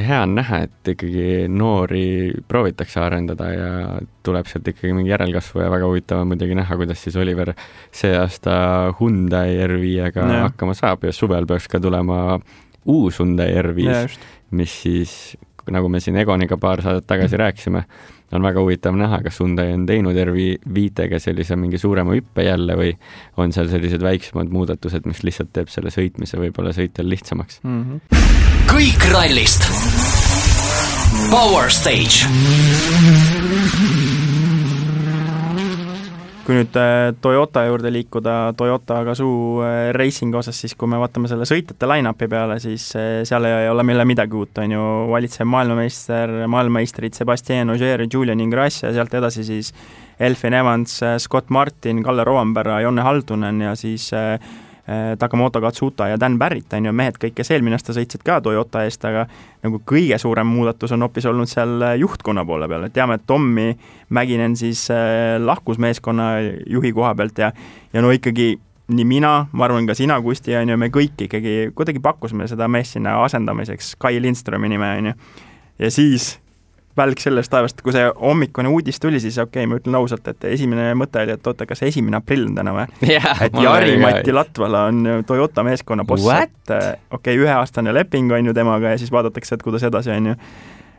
hea on näha, et ikkagi noori proovitakse arendada ja tuleb sealt ikkagi mingi järelkasvu ja väga huvitav on muidugi näha, kuidas siis Oliver see aasta Hyundai R5-ga hakkama saab ja suvel peaks ka tulema uus Hyundai R5, mis siis, nagu me siin Egoniga paar saadet tagasi rääkisime, on väga huvitav näha, kas Hyundai on teinud R5-ga sellise mingi suurema hüppe jälle või on seal sellised väiksemad muudatused, mis lihtsalt teeb selle sõitmise võib-olla sõitjal lihtsamaks. Kõik rallist. Power Stage. Kui nüüd Toyota juurde liikuda, Toyota Gazoo racing osas, siis kui me vaatame selle sõitjate line-upi peale, siis seal ei ole meile midagi uut, on ju valitsev maailmameistrid Sebastien Ogier, Julian Ingrassia, sealt edasi siis Elfyn Evans, Scott Martin, Kalle Rovanperä, Jonne Haldunen ja siis Takamoto Katsuta ja Dan Barrett, on ju, mehed kõik, kes eelmine aasta sõitsid ka Toyota eest, aga nagu kõige suurem muudatus on hoopis olnud seal juhtkonna poole peal, et teame, et Tommi Mäkinen siis lahkus meeskonna juhi koha pealt ja no ikkagi nii mina, ma arvan ka sina, Kusti, on ju, me kõik ikkagi kuidagi pakkusime seda meest sinna asendamiseks Kai Lindströmi nime, on ju, ja siis välk sellest taevast, kui see hommikune uudis tuli, siis okei, ma ütlen ausalt, et esimene mõte oli, et oota, kas 1. aprill on täna või? Et Jari-Matti Latvala on Toyota meeskonna boss, et okei, 1-aastane leping on ju temaga ja siis vaadatakse, et kuidas edasi on ju.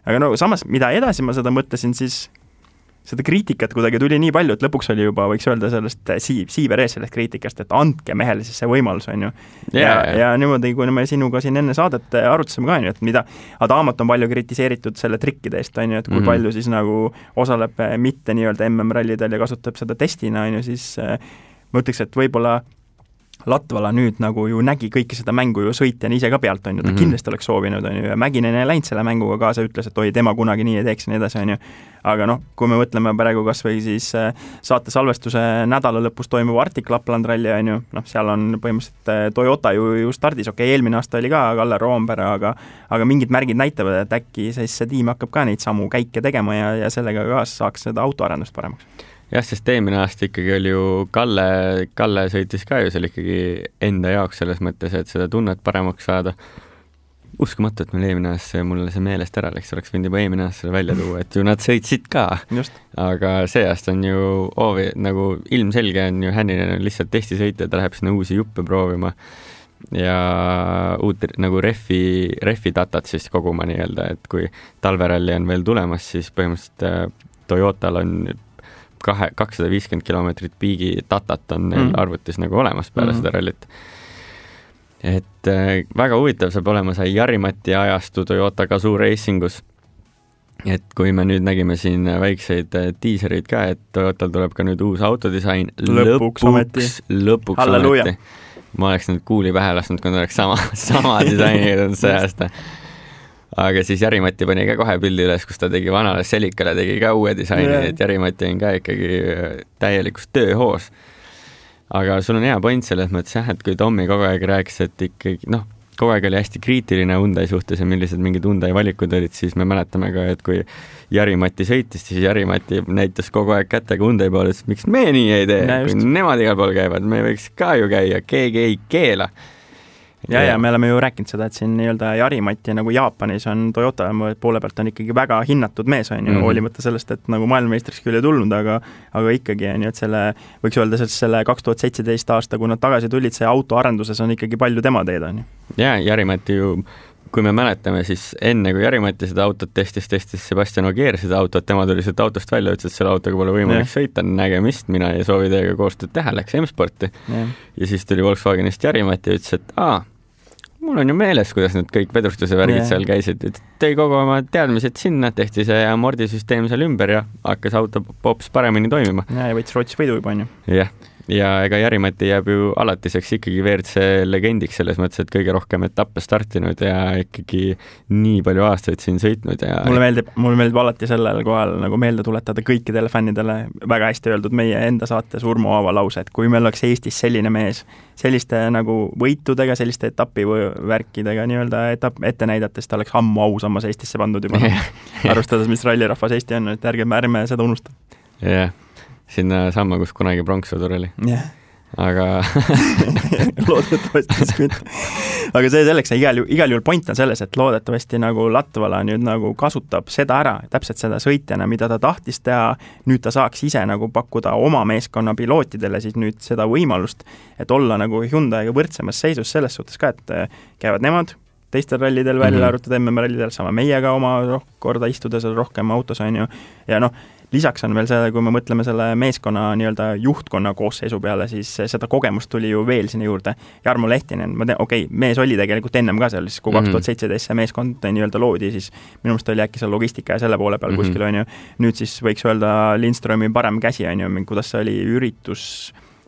Aga no samas, mida edasi ma seda mõtlesin, siis seda kriitikat kuidagi tuli nii palju, et lõpuks oli juba, võiks öelda sellest siiber ees sellest kriitikast, et andke mehele siis see võimalus, on ju. Ja niimoodi, kui me sinuga siin enne saadet arutasime ka, on ju, et mida Adamat on palju kritiseeritud selle trikkide eest, on ju, et kui palju siis nagu osaleb mitte nii-öelda MM-rallidel ja kasutab seda testina, on ju, siis ma ütleks, et võib-olla Latvala nüüd nagu ju nägi kõike seda mängu ju sõitjana ise ka pealt, on ju, ta kindlasti oleks soovinud, on ju, ja Mäkinen ei läinud selle mänguga kaasa, ütles, et oi, tema kunagi nii ei teeks ja nii edasi, on ju. Aga noh, kui me mõtleme praegu kas või siis saate salvestuse nädala lõpus toimuva Arctic Lapland ralli, on ju, noh, seal on põhimõtteliselt Toyota ju stardis, okei, eelmine aasta oli ka Kalle Roomberg, aga mingid märgid näitavad, et äkki siis see tiim hakkab ka neid samu käike tegema ja sellega ka saaks seda autoarendust paremaks. Jah, sest eelmine aasta ikkagi oli ju Kalle sõitis ka ju seal ikkagi enda jaoks selles mõttes, et seda tunnet paremaks saada. Uskumatu, et meil eelmine aasta mulle see meelest ära läks, oleks võinud juba eelmine aasta välja tuua, et ju nad sõitsid ka. Just. Aga see aasta on ju nagu ilmselge on ju Hänninen on lihtsalt testisõitja, ta läheb sinna uusi juppe proovima ja uut nagu refi datat siis koguma nii-öelda, et kui talveralli on veel tulemas, siis põhimõtteliselt Toyotal on 250 kilomeetrit piigi datat on neil arvutis nagu olemas peale seda rallit. Et väga huvitav saab olema sai Jari-Matti ajastu Toyota Gazoo Racingus. Et kui me nüüd nägime siin väikseid tiiserid ka, et Toyotal tuleb ka nüüd uus autodisain. Lõpuks ometi. Ma oleks nüüd kuuli pähe lasknud, kui oleks sama disaini see aasta. Aga siis Jari-Matti pani ka kohe pildi üles, kus ta tegi vanale Selikale, tegi ka uue disaini, et Jari-Matti on ka ikkagi täielikus tööhoos. Aga sul on hea point selles mõttes jah, et kui Tommi kogu aeg rääkis, et ikkagi, noh, kogu aeg oli hästi kriitiline Hyundai suhtes ja millised mingid Hyundai valikud olid, siis me mäletame ka, et kui Jari-Matti sõitis, siis Jari-Matti näitas kogu aeg kätega Hyundai poole, et miks me nii ei tee, kui nemad igal pool käivad, me võiks ka ju käia, keegi ei keela. Ja me oleme ju rääkinud seda, et siin nii-öelda Jari-Matti nagu Jaapanis on Toyota poole pealt on ikkagi väga hinnatud mees, on ju, hoolimata sellest, et nagu maailmameistriks küll ei tulnud, aga ikkagi on ju, et selle, võiks öelda, selle 2017 aasta, kui nad tagasi tulid, see autoarenduses on ikkagi palju tema teed, on ju. Ja Jari-Matti ju, kui me mäletame, siis enne kui Jari-Matti seda autot testis Sebastian Ogier seda autot, tema tuli sealt autost välja, ütles, et selle autoga pole võimalik sõita, nägemist, mina ei soovi teiega koostööd teha, läks M-sporti. Ja siis tuli Volkswagenist Jari-Matti ja ütles, et mul on ju meeles, kuidas need kõik vedrustuse värgid seal käisid, et tõi kogu oma teadmised sinna, tehti see amordisüsteem seal ümber ja hakkas auto hoopis paremini toimima. Ja võitis Rootsi võidu juba, on ju. Jah, ja ega Jari-Matti jääb ju alatiseks ikkagi WRC legendiks selles mõttes, et kõige rohkem etappe startinud ja ikkagi nii palju aastaid siin sõitnud. Ja mulle meeldib alati sellel kohal nagu meelde tuletada kõikidele fännidele väga hästi öeldud meie enda saates Urmo Aava lause, et kui meil oleks Eestis selline mees, selliste nagu võitudega, selliste etapivärkidega nii-öelda ette näidates, ta oleks ammu ausammas Eestisse pandud juba. Arvestades, mis rallirahvas Eesti on, et ärme seda unustada. Jah. Sinna samma, kus kunagi pronkssõdur oli. Aga loodetavasti aga see selleks, igal juhul point on selles, et loodetavasti nagu Latvala nüüd nagu kasutab seda ära, täpselt seda sõitjana, mida ta tahtis teha, nüüd ta saaks ise nagu pakkuda oma meeskonna pilootidele siis nüüd seda võimalust, et olla nagu Hyundaiga võrdsemas seisus selles suhtes ka, et käivad nemad teistel rallidel välja arvutud MM-rallidel, sama meiega oma korda istuda seal rohkem autos on ju, ja noh, lisaks on veel see, kui me mõtleme selle meeskonna nii-öelda juhtkonna koosseisu peale, siis seda kogemust tuli ju veel sinna juurde. Jarmo Lehtinen, mees oli tegelikult ennem ka seal, siis kui 2017 see meeskond nii-öelda loodi, siis minu meelest oli äkki seal logistika ja selle poole peal kuskil on ju. Nüüd siis võiks öelda Lindströmi parem käsi on ju, kuidas see oli üritus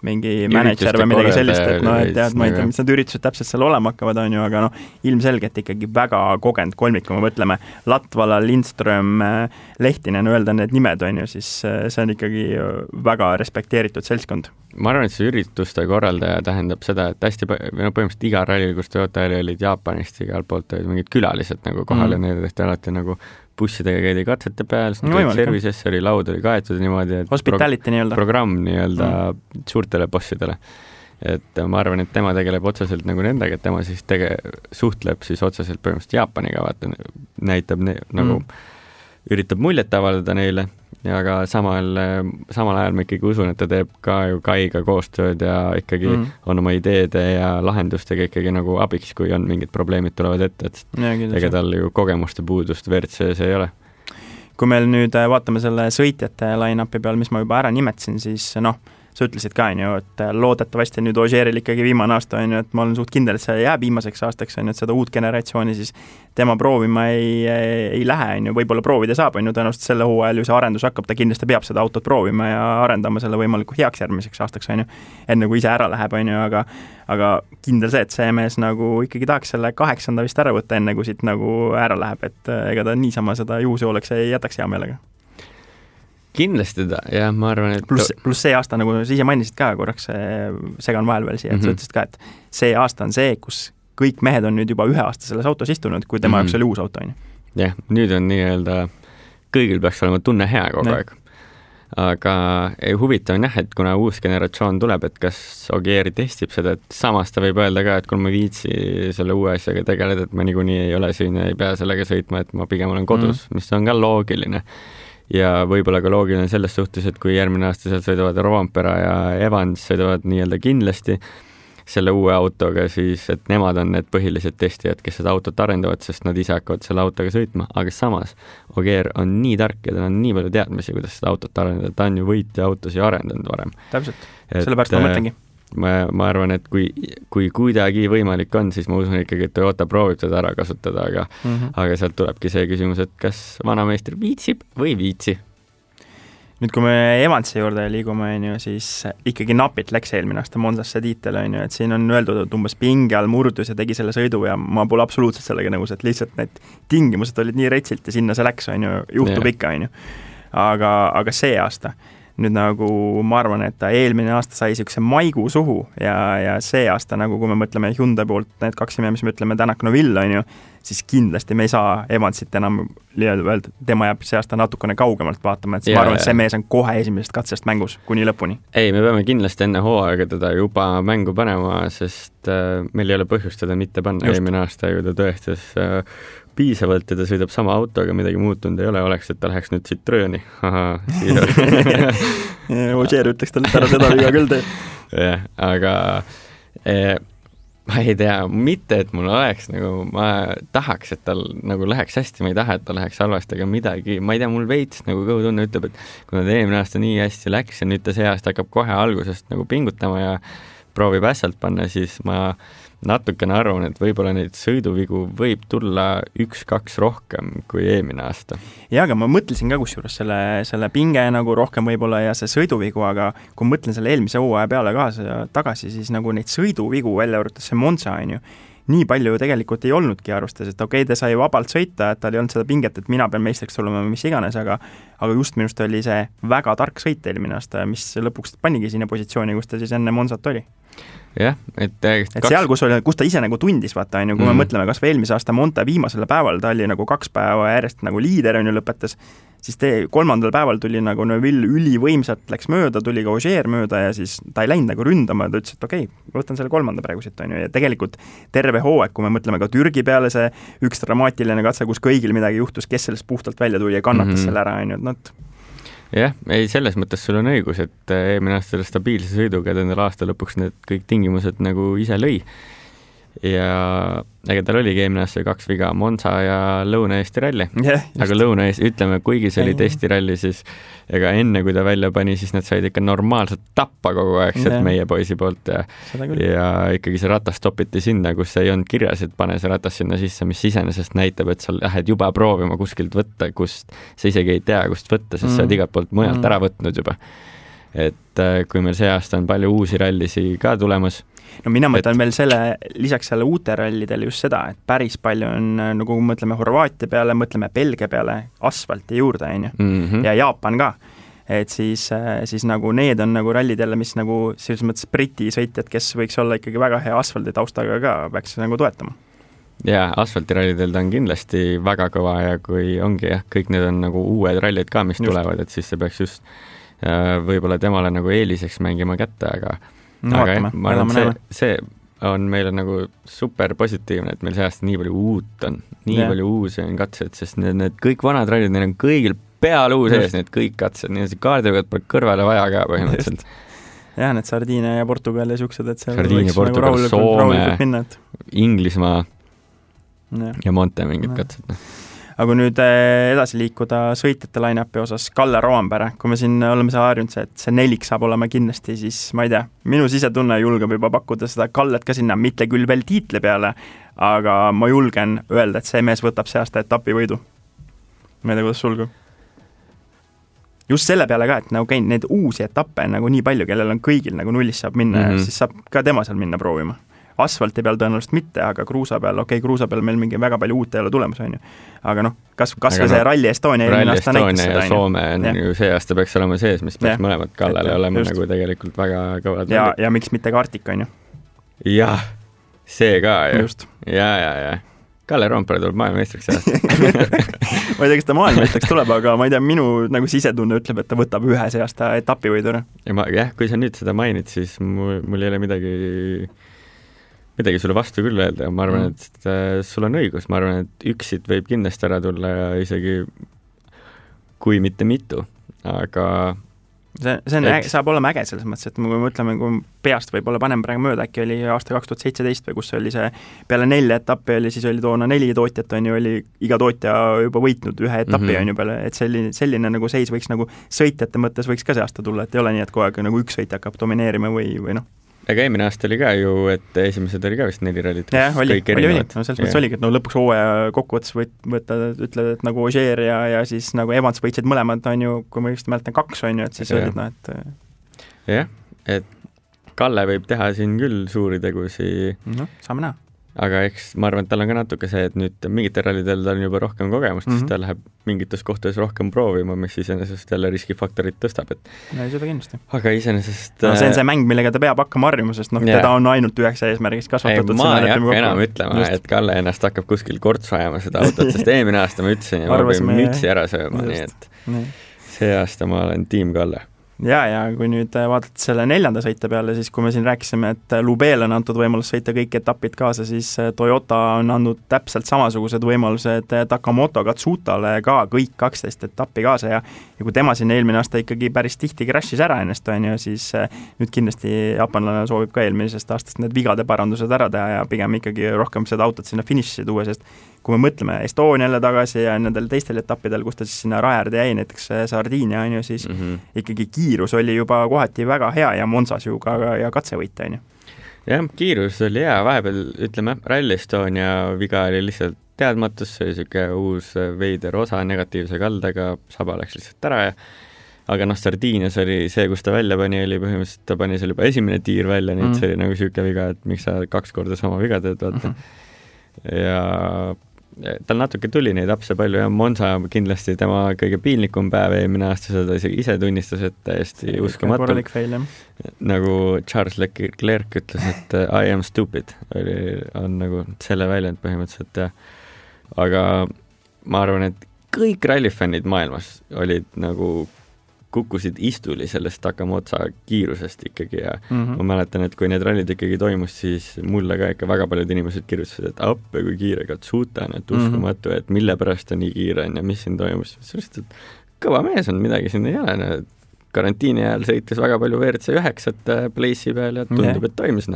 mingi manager või midagi sellist, et noh, et tead, ma ei tea, mis need üritused täpselt seal olema hakkavad, on ju, aga noh, ilmselgelt ikkagi väga kogenud kolmik, kui me mõtleme Latvala, Lindström, Lehtinen, öelda need nimed, on ju, siis see on ikkagi väga respekteeritud seltskond. Ma arvan, et see ürituste korraldaja tähendab seda, et hästi põhimõtteliselt iga rallil, kus Toyota olid Jaapanist, igalt poolt olid mingid külalised nagu kohal ja need tehti alati nagu bussidega käidi katsete peal, servicesse oli laud oli kaetud niimoodi, et hospitality programm suurtele bossidele. Et ma arvan, et tema tegeleb otseselt nagu nendega, et tema siis suhtleb siis otseselt põhimõtteliselt Jaapaniga, vaata, näitab nagu üritab muljet avaldada neile, aga samal ajal ma ikkagi usun, et ta teeb ka ju Kaiga koostööd ja ikkagi on oma ideede ja lahendustega ikkagi nagu abiks, kui on mingid probleemid tulevad ette, et ega tal ju kogemuste puudust WRC-s ei ole. Kui meil nüüd vaatame selle sõitjate line-upi peal, mis ma juba ära nimetasin, siis noh, sa ütlesid ka, on ju, et loodetavasti nüüd Ogieril ikkagi viimane aasta, on ju, et ma olen suht kindel, et see jääb viimaseks aastaks, on ju, et seda uut generatsiooni siis tema proovima ei lähe, on ju, võib-olla proovida saab, on ju, tõenäoliselt selle hooajal ju see arendus hakkab, ta kindlasti peab seda autot proovima ja arendama selle võimaliku heaks järgmiseks aastaks, on ju, enne kui ise ära läheb, on ju, aga kindel see, et see mees nagu ikkagi tahaks selle 8. vist ära võtta, enne kui siit nagu ära läheb, et ega ta niisama seda juhuse oleks ei jätaks hea meelega. Kindlasti ta, jah, ma arvan, et pluss see aasta, nagu sa ise mainisid ka korraks, segan vahel veel siia, et sa ütlesid ka, et see aasta on see, kus kõik mehed on nüüd juba 1 aasta selles autos istunud, kui tema jaoks oli uus auto, on ju. Jah, nüüd on nii-öelda, kõigil peaks olema tunne hea kogu aeg. Aga huvitav on jah, et kuna uus generatsioon tuleb, et kas Ogier testib seda, et samas ta võib öelda ka, et kui ma viitsi selle uue asjaga tegeleda, et ma niikuinii ei ole siin ja ei pea sellega sõitma, et ma pigem olen kodus, mis on ka loogiline. Ja võib-olla ka loogiline selles suhtes, et kui järgmine aasta seal sõidavad Rovanpera ja Evans sõidavad nii-öelda kindlasti selle uue autoga, siis et nemad on need põhilised testijad, kes seda autot arendavad, sest nad ise hakkavad selle autoga sõitma, aga samas Ogier on nii tark ja tal on nii palju teadmisi, kuidas seda autot arendada, ta on ju võitja autosi arendanud varem. Täpselt, sellepärast ma mõtlengi. Ma arvan, et kui kuidagi võimalik on, siis ma usun ikkagi, et Toyota proovib seda ära kasutada, aga sealt tulebki see küsimus, et kas vanameister viitsib või viitsi. Nüüd, kui me Evansi juurde liigume, on ju, siis ikkagi napilt läks eelmine aasta Monzasse tiitel, on ju, et siin on öeldud, et umbes pinge all murdus ja tegi selle sõidu ja ma pole absoluutselt sellega nõus, et lihtsalt need tingimused olid nii retsilt ja sinna see läks, on ju, juhtub ikka, on ju. Aga see aasta nüüd nagu ma arvan, et ta eelmine aasta sai niisuguse maigu suhu ja see aasta, nagu kui me mõtleme Hyundai poolt need 2 nime, mis me ütleme Tänak-Noville, on ju, siis kindlasti me ei saa Evansit enam öelda, tema jääb see aasta natukene kaugemalt vaatama, et ma arvan, et see mees on kohe esimesest katsest mängus kuni lõpuni. Ei, me peame kindlasti enne hooaega teda juba mängu panema, sest meil ei ole põhjust teda mitte panna. Eelmine aasta ju ta tõestas piisavalt ja ta sõidab sama autoga, midagi muutunud ei ole, oleks, et ta läheks nüüd Citrooni. Ogier ütleks talle ära seda viga küll tee. Jah, aga ma ei tea, mitte, et mul oleks nagu, ma tahaks, et tal nagu läheks hästi, ma ei taha, et ta läheks halvasti, aga midagi, ma ei tea, mul veits nagu kõhutunne ütleb, et kui ta eelmine aasta nii hästi läks ja nüüd ta see aasta hakkab kohe algusest nagu pingutama ja proovib ässalt panna, siis ma natukene arvan, et võib-olla neid sõiduvigu võib tulla 1-2 rohkem kui eelmine aasta. Ja, aga ma mõtlesin ka kusjuures selle pinge nagu rohkem võib-olla ja see sõiduvigu, aga kui mõtlen selle eelmise hooaja peale tagasi, siis nagu neid sõiduvigu välja arvates see Monza, on ju, nii palju tegelikult ei olnudki arvustas, et okei, ta sai vabalt sõita, et tal ei olnud seda pinget, et mina pean meistriks tulema mis iganes, aga just minust oli see väga tark sõit eelmine aasta, mis lõpuks panigi sinna positsiooni, kus ta siis enne Monzat oli. Jah, et seal, kus ta ise nagu tundis, vaata, on ju, kui me mõtleme kas või eelmise aasta Monte viimasele päeval, ta oli nagu 2 päeva järjest nagu liider, on ju, lõpetas, siis 3. päeval tuli nagu Neville ülivõimsalt läks mööda, tuli ka Ogier mööda ja siis ta ei läinud nagu ründama, ta ütles, et okei, võtan selle 3. praegu siit, on ju, ja tegelikult terve hooaeg, kui me mõtleme ka Türgi peale see üks dramaatiline katse, kus kõigil midagi juhtus, kes sellest puhtalt välja tuli ja kannatas selle ära, on ju, et Jah, ei, selles mõttes sul on õigus, et eelmine aasta selle stabiilse sõiduga endal aasta lõpuks need kõik tingimused nagu ise lõi. Ja ega tal oligi eelmine aasta 2 viga, Monza ja Lõuna-Eesti ralli. Aga Lõuna-Eesti, ütleme, kuigi see oli testiralli, siis ega enne, kui ta välja pani, siis nad said ikka normaalselt tappa kogu aeg sealt meie poisi poolt ja ikkagi see ratas topiti sinna, kus ei olnud kirjas, et pane see ratas sinna sisse, mis iseenesest näitab, et sa lähed juba proovima kuskilt võtta, kust sa isegi ei tea, kust võtta, sest sa oled igalt poolt mujalt ära võtnud juba. et kui meil see aasta on palju uusi rallisi ka tulemas. No mina mõtlen veel lisaks selle uute rallidele just seda, et päris palju on, nagu mõtleme Horvaatia peale, mõtleme Belgia peale, asfalti juurde, ja Jaapan ka. Et siis nagu need on nagu rallid jälle, mis nagu selles mõttes Briti sõitjad, kes võiks olla ikkagi väga hea asfaldi taustaga ka, peaks nagu toetama. Jaa, asfaltirallidel ta on kindlasti väga kõva ja kui ongi kõik need on nagu uued rallid ka, mis tulevad, et siis see peaks just võib-olla temale nagu eeliseks mängima kätte, aga ma arvan, see on meile nagu super positiivne, et meil see aasta nii palju uut on, palju uusi on katsed, sest need kõik vanad rallid, neil on kõigil peal uus ees, need kõik katsed, nii see kaardiga pole kõrvale vaja ka põhimõtteliselt. Jah, need Sardiinia ja Portugal ja siuksed, et seal Sardiinia, Portugal, nagu Soome, Inglismaa ja Monte mingid katsed. Aga nüüd edasi liikuda sõitjate line-upi osas, Kalle Roompere, kui me siin oleme see harjunud, et see nelik saab olema kindlasti, siis ma ei tea, minu sisetunne julgeb juba pakkuda seda Kallet ka sinna, mitte küll veel tiitli peale, aga ma julgen öelda, et see mees võtab see aasta etapivõidu. Ma ei tea, kuidas sulgu. Just selle peale ka, et nagu käin neid uusi etappe nagu nii palju, kellel on kõigil nagu nullist saab minna ja siis saab ka tema seal minna proovima. Asfalti peal tõenäoliselt mitte, aga kruusa peal, kruusa peal meil mingi väga palju uut ei ole tulemas, on ju. Aga kas see Rally Estonia Rally Estonia ja Soome on ju see aasta peaks olema sees, mis peaks mõlemad Kallele olema just. Nagu tegelikult väga kõvad. Ja miks mitte ka Artika, on ju? Jah, see ka ju. Just. Ja. Kalle Roompere tuleb maailmameistriks aasta. Ma ei tea, kas ta maailmameistriks tuleb, aga ma ei tea, minu nagu sisetunne ütleb, et ta võtab ühe see aasta etapivõidura. Ja kui sa nüüd seda mainid, siis mul ei ole midagi sulle vastu küll öelda ja ma arvan, et sul on õigus, ma arvan, et üksid võib kindlasti ära tulla ja isegi kui mitte mitu, aga see saab olema äge selles mõttes, et kui mõtleme, kui peast võib-olla panem praegu mööda, äkki oli aasta 2017 või kus oli see peale 4 etappi oli, siis oli toona 4 tootjat, on ju, oli iga tootja juba võitnud ühe etapi, on ju peale, et selline nagu seis võiks nagu sõitjate mõttes võiks ka see aasta tulla, et ei ole nii, et kogu aeg nagu üks sõitja hakkab domineerima või noh. Aga eelmine aasta oli ka ju, et esimesed oli ka vist 4 rallit. Jah, oli. No selles mõttes oligi, et lõpuks hooaja kokkuvõttes ütled, et nagu Ogier ja siis nagu Evans võitsid mõlemad, on ju, kui ma just mäletan 2, on ju, et siis olid, et jah, et Kalle võib teha siin küll suuri tegusi. Saame näha. Aga eks ma arvan, et tal on ka natuke see, et nüüd mingitel rallidel tal on juba rohkem kogemust, siis ta läheb mingites kohtades rohkem proovima, mis iseenesest jälle riskifaktorit tõstab. Ei, seda kindlasti. Aga iseenesest see on see mäng, millega ta peab hakkama harjuma, sest teda on ainult üheks eesmärgist kasvatatud. Ma ei hakka enam ütlema, et Kalle ennast hakkab kuskil kortsu ajama seda autot, sest eelmine aasta ma ütlesin ja ma pean mütsi ära sööma, nii et see aasta ma olen tiim Kalle. Ja kui nüüd vaadata selle 4. sõite peale, siis kui me siin rääkisime, et Lubeel on antud võimalus sõita kõik etapid kaasa, siis Toyota on andnud täpselt samasugused võimalused Takamoto Katsutale ka kõik 12 etappi kaasa ja kui tema siin eelmine aasta ikkagi päris tihti crashis ära ennast, on ju, siis nüüd kindlasti jaapanlane soovib ka eelmisest aastast need vigade parandused ära teha ja pigem ikkagi rohkem seda autot sinna finišisse tuua, sest kui me mõtleme Estoniale tagasi ja nendel teistel etappidel, kus ta siis sinna rajaäärde jäi, näiteks Sardiinia, on ju, siis ikkagi kiirus oli juba kohati väga hea ja Monsas ju ka ja katsevõite, on ju. Jah, kiirus oli hea, vahepeal ütleme, Rally Estonia viga oli lihtsalt teadmatus, see oli siuke uus veider osa negatiivse kaldega, saba läks lihtsalt ära ja aga Sardiinias oli see, kus ta välja pani, oli põhimõtteliselt, ta pani seal juba esimene tiir välja, nii et see oli nagu siuke viga, et miks sa 2 korda sama viga teed, vaata. Ja tal natuke tuli neid apse palju ja Monza kindlasti tema kõige piinlikum päev eelmine aasta, seda ise tunnistas, et täiesti uskumatu. Nagu Charles Leclerc ütles, et I am stupid, on nagu selle väljend põhimõtteliselt ja aga ma arvan, et kõik rallifännid maailmas olid nagu kukkusid istuli sellest Takamoto kiirusest ikkagi ja ma mäletan, et kui need rallid ikkagi toimus, siis mulle ka ikka väga paljud inimesed kirjutasid, et appe kui kiire Katsuta on, et uskumatu, et mille pärast ta nii kiire on ja mis siin toimus. Sellest, et kõva mees on, midagi siin ei ole. Karantiini ajal sõitis väga palju WRC9 place'i peal ja tundub, et toimis.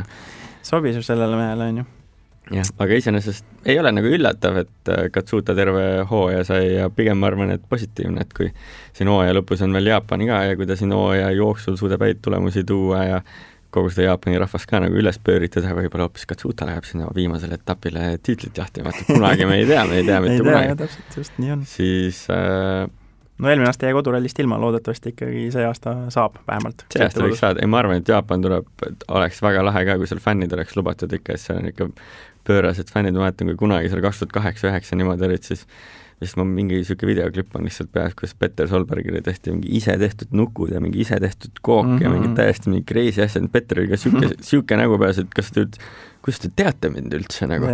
Sobis ju sellele mehele, on ju. Jah, aga iseenesest ei ole nagu üllatav, et Katsuta terve hooaja sai ja pigem ma arvan, et positiivne, et kui siin hooaja lõpus on veel Jaapani ka ja kui ta siin hooaja jooksul suudab häid tulemusi tuua ja kogu seda Jaapani rahvast ka nagu üles pööritada, võib-olla hoopis Katsuta läheb sinna viimasele etapile tiitlit jahtima, et kunagi me ei tea mitte kunagi. Täpselt, just nii on. Siis no eelmine aasta jäi kodurallist ilma, loodetavasti ikkagi see aasta saab vähemalt. See aasta võiks saada, ma arvan, et Jaapan tuleb, oleks väga lahe ka, kui seal fännid oleks lubatud ikka, et seal on ikka pöörased fännid, ma mäletan, kui kunagi seal 2008-2009 niimoodi olid, siis ma mingi niisugune videoklipp on lihtsalt peas, kus Petter Solbergile tehti mingi ise tehtud nukud ja mingi ise tehtud kook ja mingi täiesti mingi crazy asjad, Petteril ka siuke nägu peas, et kus te teate mind üldse nagu?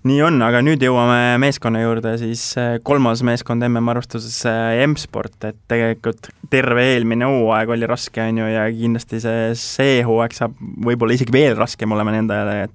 Nii on, aga nüüd jõuame meeskonna juurde, siis kolmas meeskond MM-arvustuses M-Sport, et tegelikult terve eelmine hooaeg oli raske, on ju, ja kindlasti see hooaeg saab võib-olla isegi veel raskem olema nendele,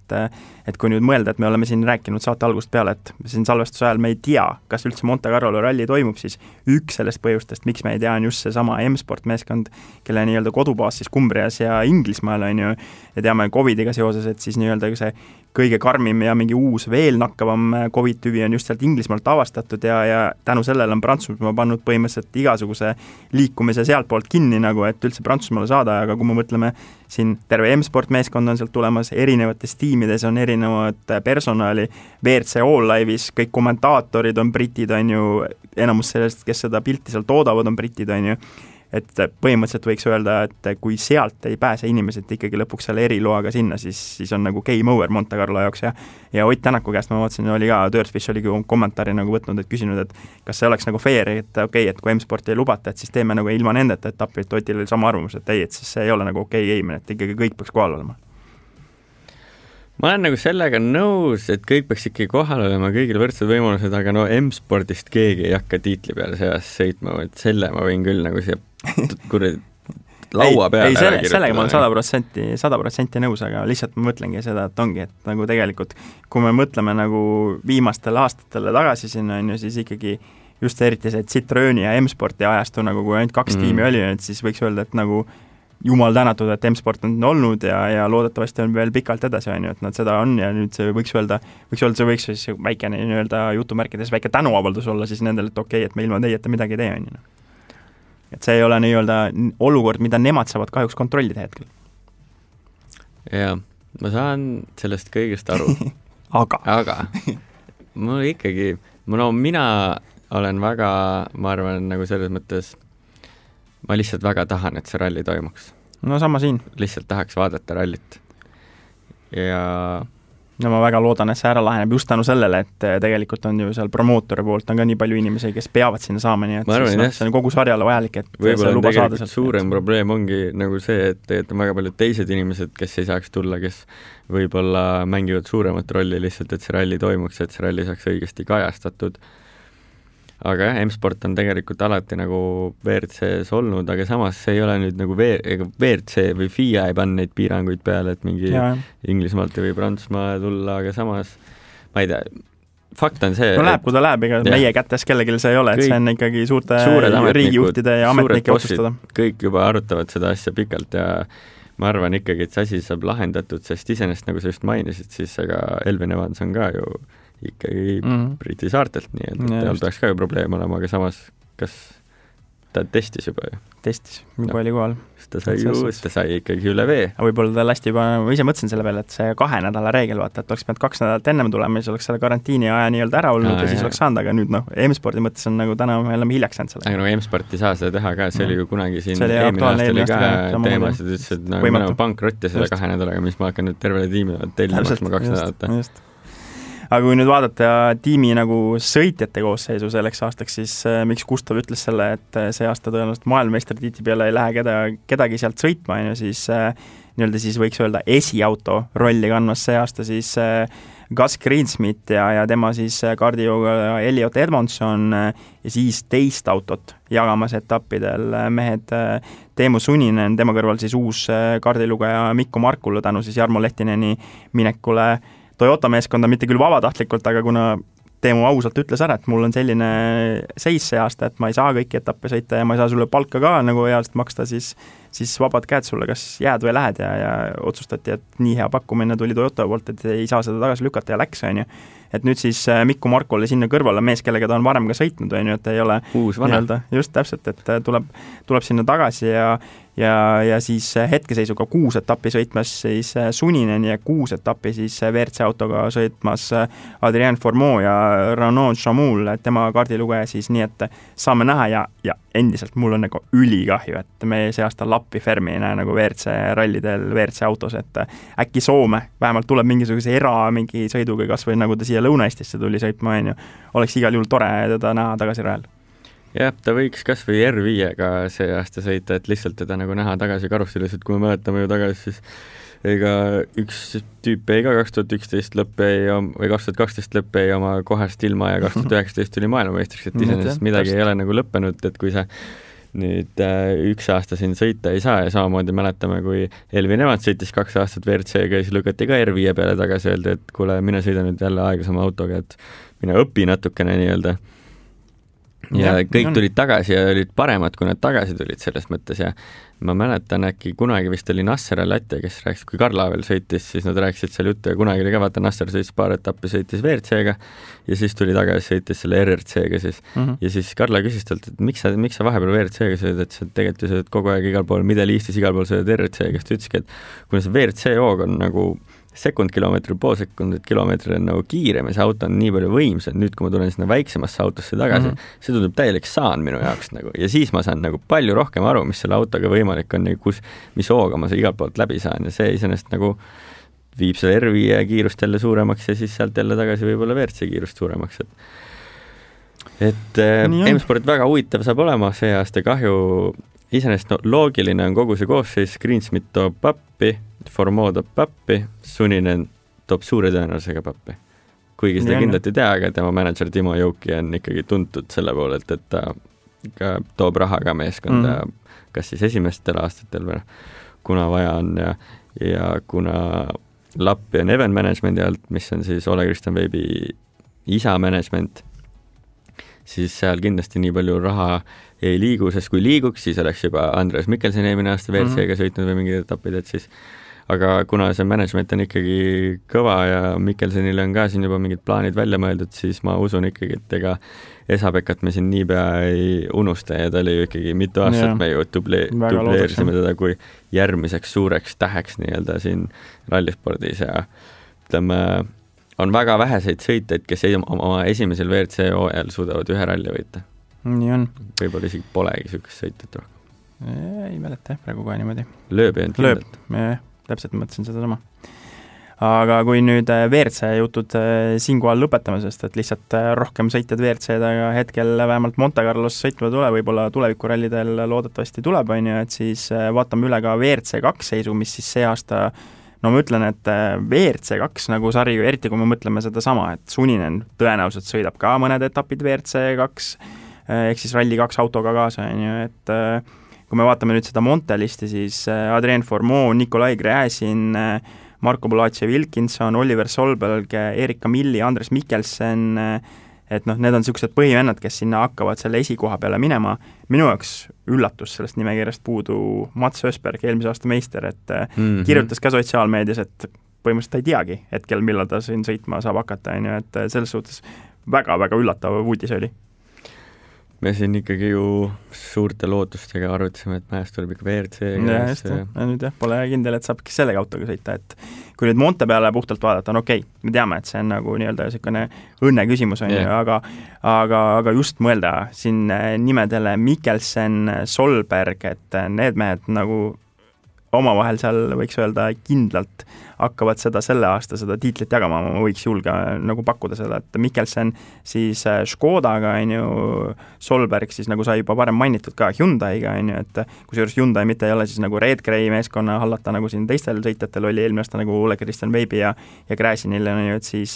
et kui nüüd mõelda, et me oleme siin rääkinud saate algust peale, et siin salvestuse ajal me ei tea, kas üldse Monte Carlo ralli toimub, siis üks sellest põhjustest, miks me ei tea, on just see sama M-Sport meeskond, kelle nii-öelda kodubaas siis Kumbrias ja Inglismaal, on ju, ja teame COVIDiga seoses, et siis nii-öelda see kõige karmim ja mingi uus veel nakkavam COVID-tüvi on just sealt Inglismaalt avastatud ja tänu sellele on Prantsusmaa pannud põhimõtteliselt igasuguse liikumise sealtpoolt kinni, nagu et üldse Prantsusmaale saada, aga kui me mõtleme, siin terve M-Sport meeskond on sealt tulemas, erinevates tiimides on erinevad personali, WRC All Live'is kõik kommentaatorid on britid, on ju, enamus sellest, kes seda pilti seal toodavad, on britid, on ju, et põhimõtteliselt võiks öelda, et kui sealt ei pääse inimesed ikkagi lõpuks selle eriloaga sinna, siis on nagu game over Monte Carlo jaoks ja Ott Tänaku käest ma vaatasin, oli ka, Dirtfish oligi kommentaari nagu võtnud, et küsinud, et kas see oleks nagu fair, et okei, et kui M-Sporti ei lubata, et siis teeme nagu ilma nendeta etapilt, Otil oli sama arvamus, et ei, et siis see ei ole nagu okei game, et ikkagi kõik peaks kohal olema. Ma olen nagu sellega nõus, et kõik peaks ikkagi kohal olema, kõigil võrdsed võimalused, aga no M-Spordist keegi ei hakka tiitli peale seas sõitma, et selle ma võin küll nagu siia laua peale sellega ma olen 100% nõus, aga lihtsalt ma mõtlengi seda, et ongi, et nagu tegelikult kui me mõtleme nagu viimastele aastatele tagasi sinna, on ju, siis ikkagi just eriti see Citrooni ja M-Sporti ajastu, nagu kui ainult 2 tiimi oli, et siis võiks öelda, et nagu jumal tänatud, et M-Sport on olnud ja loodetavasti on veel pikalt edasi, on ju, et nad seda on ja nüüd see võiks siis väikene nii-öelda jutumärkides väike tänuavaldus olla siis nendele, et okei, et me ilma teieta midagi ei tee, on ju. Et see ei ole nii-öelda olukord, mida nemad saavad kahjuks kontrollida hetkel. Jaa, ma saan sellest kõigest aru. aga mul ikkagi, mina olen väga, ma arvan, nagu selles mõttes ma lihtsalt väga tahan, et see ralli toimuks. No sama siin. Lihtsalt tahaks vaadata rallit. Ja no ma väga loodan, et see ära laheneb just tänu sellele, et tegelikult on ju seal promootori poolt on ka nii palju inimesi, kes peavad sinna saama, nii et siis, see on kogu sarjale vajalik, et võib-olla on tegelikult suurem probleem ongi nagu see, et on väga paljud teised inimesed, kes ei saaks tulla, kes võib-olla mängivad suuremat rolli lihtsalt, et see ralli toimuks, et see ralli saaks õigesti kajastatud. Aga jah, M-Sport on tegelikult alati nagu WRC-s olnud, aga samas see ei ole nüüd nagu WRC või FIA ei panna neid piiranguid peale, et mingi Inglismaalt või Prantsusmaa tulla, aga samas ma ei tea, fakt on see... No läheb, kui ta läheb, ega meie kätes kellelgi see ei ole, et see on ikkagi suurte riigijuhtide ja ametnike otsustada. Kõik juba arutavad seda asja pikalt ja ma arvan ikkagi, et see asi saab lahendatud, sest iseenesest nagu sa just mainisid, siis ega Elvin Evans on ka ju ikkagi Briti saartelt, nii et tal peaks ka ju probleem olema, aga samas kas ta testis juba ju? Testis, juba oli kohal. Ta sai ikkagi üle vee. Võib-olla ta lasti juba, ma ise mõtlesin selle peale, et see 2 nädala reegel, vaata, et oleks pidanud 2 nädalat ennem tulema, siis oleks selle karantiini aja nii-öelda ära olnud ja siis oleks saanud, aga nüüd M-Spordi mõttes on nagu täna me oleme hiljaks saanud selle. Aga no M-Sport ei saa seda teha ka, see oli ju kunagi siin eelmine aasta oli ka teemas, et ütles, et nagu me oleme pankrotti selle 2 nädalaga, mis ma hakkan nüüd tervele tiimile tellimaksma 2 nädalat. Aga kui nüüd vaadata tiimi nagu sõitjate koosseisu selleks aastaks, siis miks Gustav ütles selle, et see aasta tõenäoliselt maailmameistritiitli peale ei lähe kedagi sealt sõitma, siis nii-öelda siis võiks öelda esiauto rolli kandmas see aasta siis Gus Greensmith ja tema siis kardioga Elliot Edmondson ja siis teist autot jagamas etappidel mehed Teemu Suninen, tema kõrval siis uus kardilugeja Mikko Markula tänu siis Jarmo Lehtineni minekule Toyota meeskonda, mitte küll vabatahtlikult, aga kuna Teemu ausalt ütles ära, et mul on selline seis see aasta, et ma ei saa kõiki etappe sõita ja ma ei saa sulle palka ka nagu healt maksta, siis siis vabad käed sulle, kas jääd või lähed ja otsustati, et nii hea pakkumine tuli Toyota poolt, et ei saa seda tagasi lükata ja läks, on ju. Et nüüd siis Mikko Markole sinna kõrvale mees, kellega ta on varem ka sõitnud, on ju, et ei ole uus vana. Just täpselt, et tuleb sinna tagasi ja siis hetkeseisuga 6 etappi sõitmas siis Suninen ja 6 etappi siis WRC autoga sõitmas Adrien Fourmont ja Renaud Chamoul, tema kaardilugeja siis, nii et saame näha ja endiselt mul on nagu ülikahju, et me see aasta Lappi Fermi ei näe nagu WRC rallidel, WRC autos, et äkki Soome vähemalt tuleb mingisuguse mingi sõiduga, kas või nagu ta siia Lõuna-Eestisse tuli sõitma, on ju, oleks igal juhul tore teda näha tagasi rajal. Jah, ta võiks kas või R5-ga see aasta sõita, et lihtsalt teda nagu näha tagasi karussellis, et kui me mäletame ju tagasi, siis ega üks tüüp jäi ka 2011 lõpp jäi või 2012 lõpp jäi oma kohast ilma ja 2019 tuli maailmameistriks, et iseenesest midagi ei ole nagu lõppenud, et kui sa nüüd üks aasta siin sõita ei saa ja samamoodi mäletame, kui Elvin Evans sõitis 2 aastat WRC-ga ja siis lükati ka R5 peale tagasi, öeldi, et kuule, mine sõida nüüd jälle aeglasema autoga, et mine õpi natukene nii-öelda. Ja kõik tulid tagasi ja olid paremad, kui nad tagasi tulid selles mõttes ja ma mäletan äkki kunagi vist oli Nasser Al-Attija, kes rääkis, kui Karla veel sõitis, siis nad rääkisid seal juttu ja kunagi oli ka vaata Nasser sõitis paar etappi, sõitis WRC-ga ja siis tuli tagasi, sõitis selle RRC-ga siis ja siis Karla küsis talt, et miks sa vahepeal WRC-ga sõid, et sa tegelikult ju sõid kogu aeg igal pool, Middle Eastis igal pool sõid RRC-ga, siis ta ütleski, et kuna see WRC-hoog on nagu sekund-kilomeetri, pool sekundit kilomeetri on nagu kiirem ja see auto on nii palju võimsam, nüüd kui ma tulen sinna väiksemasse autosse tagasi, see tundub täielik saan minu jaoks nagu ja siis ma saan nagu palju rohkem aru, mis selle autoga võimalik on ja mis hooga ma igalt poolt läbi saan ja see iseenesest nagu viib selle R5 kiirust jälle suuremaks ja siis sealt jälle tagasi võib-olla WRC kiirust suuremaks, et M-sport väga huvitav saab olema see aasta, kahju iseenesest loogiline on kogu see koosseis, Greensmith toob pappi, Fourmont toob pappi, Suninen toob suure tõenäosusega pappi. Kuigi seda kindlalt ei tea, aga tema manager Timo Jouki on ikkagi tuntud selle poolelt, et ta ka toob raha ka meeskonda, kas siis esimestel aastatel või kuna vaja on ja kuna Lappi on Event Managementi alt, mis on siis Ole Kristjan Veibi isa management, siis seal kindlasti nii palju raha ei liigu, sest kui liiguks, siis oleks juba Andreas Mikkelsen eelmine aasta WRC-ga sõitnud või mingid etapid, et siis aga kuna see management on ikkagi kõva ja Mikkelsenile on ka siin juba mingid plaanid välja mõeldud, siis ma usun ikkagi, et ega Esa-Pekat me siin niipea ei unusta ja ta oli ju ikkagi mitu aastat me ju dubleerisime teda kui järgmiseks suureks täheks nii-öelda siin rallispordis ja ütleme, on väga väheseid sõiteid, kes oma esimesel WRC hooajal suudavad ühe ralli võita. Nii on. Võib-olla isegi polegi sükest sõitet rohkem. Ei mäleta, praegu ka niimoodi. Lööb ei olnud kindlalt. Täpselt mõtlesin seda sama. Aga kui nüüd WRC jutud siinkohal lõpetame, sest et lihtsalt rohkem sõitjad WRC-dega hetkel vähemalt Monte Carlos sõitma tule, võib-olla tulevikurallidel loodetavasti tuleb, on ju, et siis vaatame üle ka WRC2 seisu, mis siis see aasta no ma ütlen, et WRC2 nagu sari, eriti kui me mõtleme seda sama, et Suninen tõenäoliselt sõidab ka mõned etapid WRC2, ehk siis Rally 2 autoga kaasa, on ju, et kui me vaatame nüüd seda Montelisti, siis Adrien Fourmont, Nikolai Gräzin, Marko Bulace Wilkinson, Oliver Solberg, Erik Camilli, Andres Mikkelsen, et noh, need on niisugused põhivennad, kes sinna hakkavad selle esikoha peale minema. Minu jaoks üllatus sellest nimekirjast puudu Mats Ösberg, eelmise aasta meister, et kirjutas ka sotsiaalmeedias, et põhimõtteliselt ta ei teagi hetkel, millal ta siin sõitma saab hakata, on ju, et selles suhtes väga-väga üllatav uudis oli. Me siin ikkagi ju suurte lootustega arvutasime, et mäest tuleb ikka WRC-ga. Ja nüüd pole kindel, et saabki sellega autoga sõita, et kui nüüd Monte peale puhtalt vaadata, on okei, me teame, et see on nagu nii-öelda niisugune õnne küsimus, on ju, aga just mõelda siin nimedele Mikkelsen, Solberg, et need mehed nagu omavahel seal võiks öelda kindlalt hakkavad selle aasta seda tiitlit jagama, ma võiks julge nagu pakkuda seda, et Mikkelsen siis Škodaga, on ju, Solberg siis nagu sai juba varem mainitud ka Hyundai'ga, on ju, et kusjuures Hyundai mitte ei ole siis nagu Red Gray meeskonna hallata, nagu siin teistel sõitjatel oli eelmine aasta nagu Ole Kristjan Veibi ja Gräzinil, on ju, et siis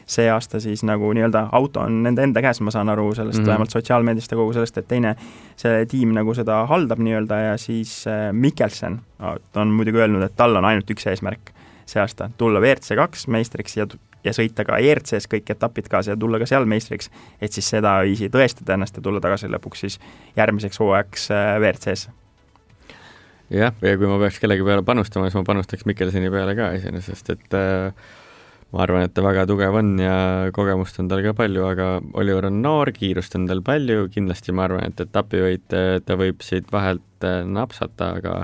see aasta siis nagu nii-öelda auto on nende enda käes, ma saan aru sellest vähemalt sotsiaalmeediast ja kogu sellest, et teine see tiim nagu seda haldab nii-öelda ja siis Mikkelsen on muidugi öelnud, et tal on ainult üks eesmärk see aasta, tulla WRC2 meistriks ja sõita ka ERC-s kõik etapid kaasa ja tulla ka seal meistriks, et siis seda viisi tõestada ennast ja tulla tagasi lõpuks siis järgmiseks hooajaks WRC-s. jah, ja kui ma peaks kellegi peale panustama, siis ma panustaks Mikkelseni peale ka iseenesest, et ma arvan, et ta väga tugev on ja kogemust on tal ka palju, aga Oliver on noor, kiirust on tal palju, kindlasti ma arvan, et etapivõit ta võib siit vahelt napsata, aga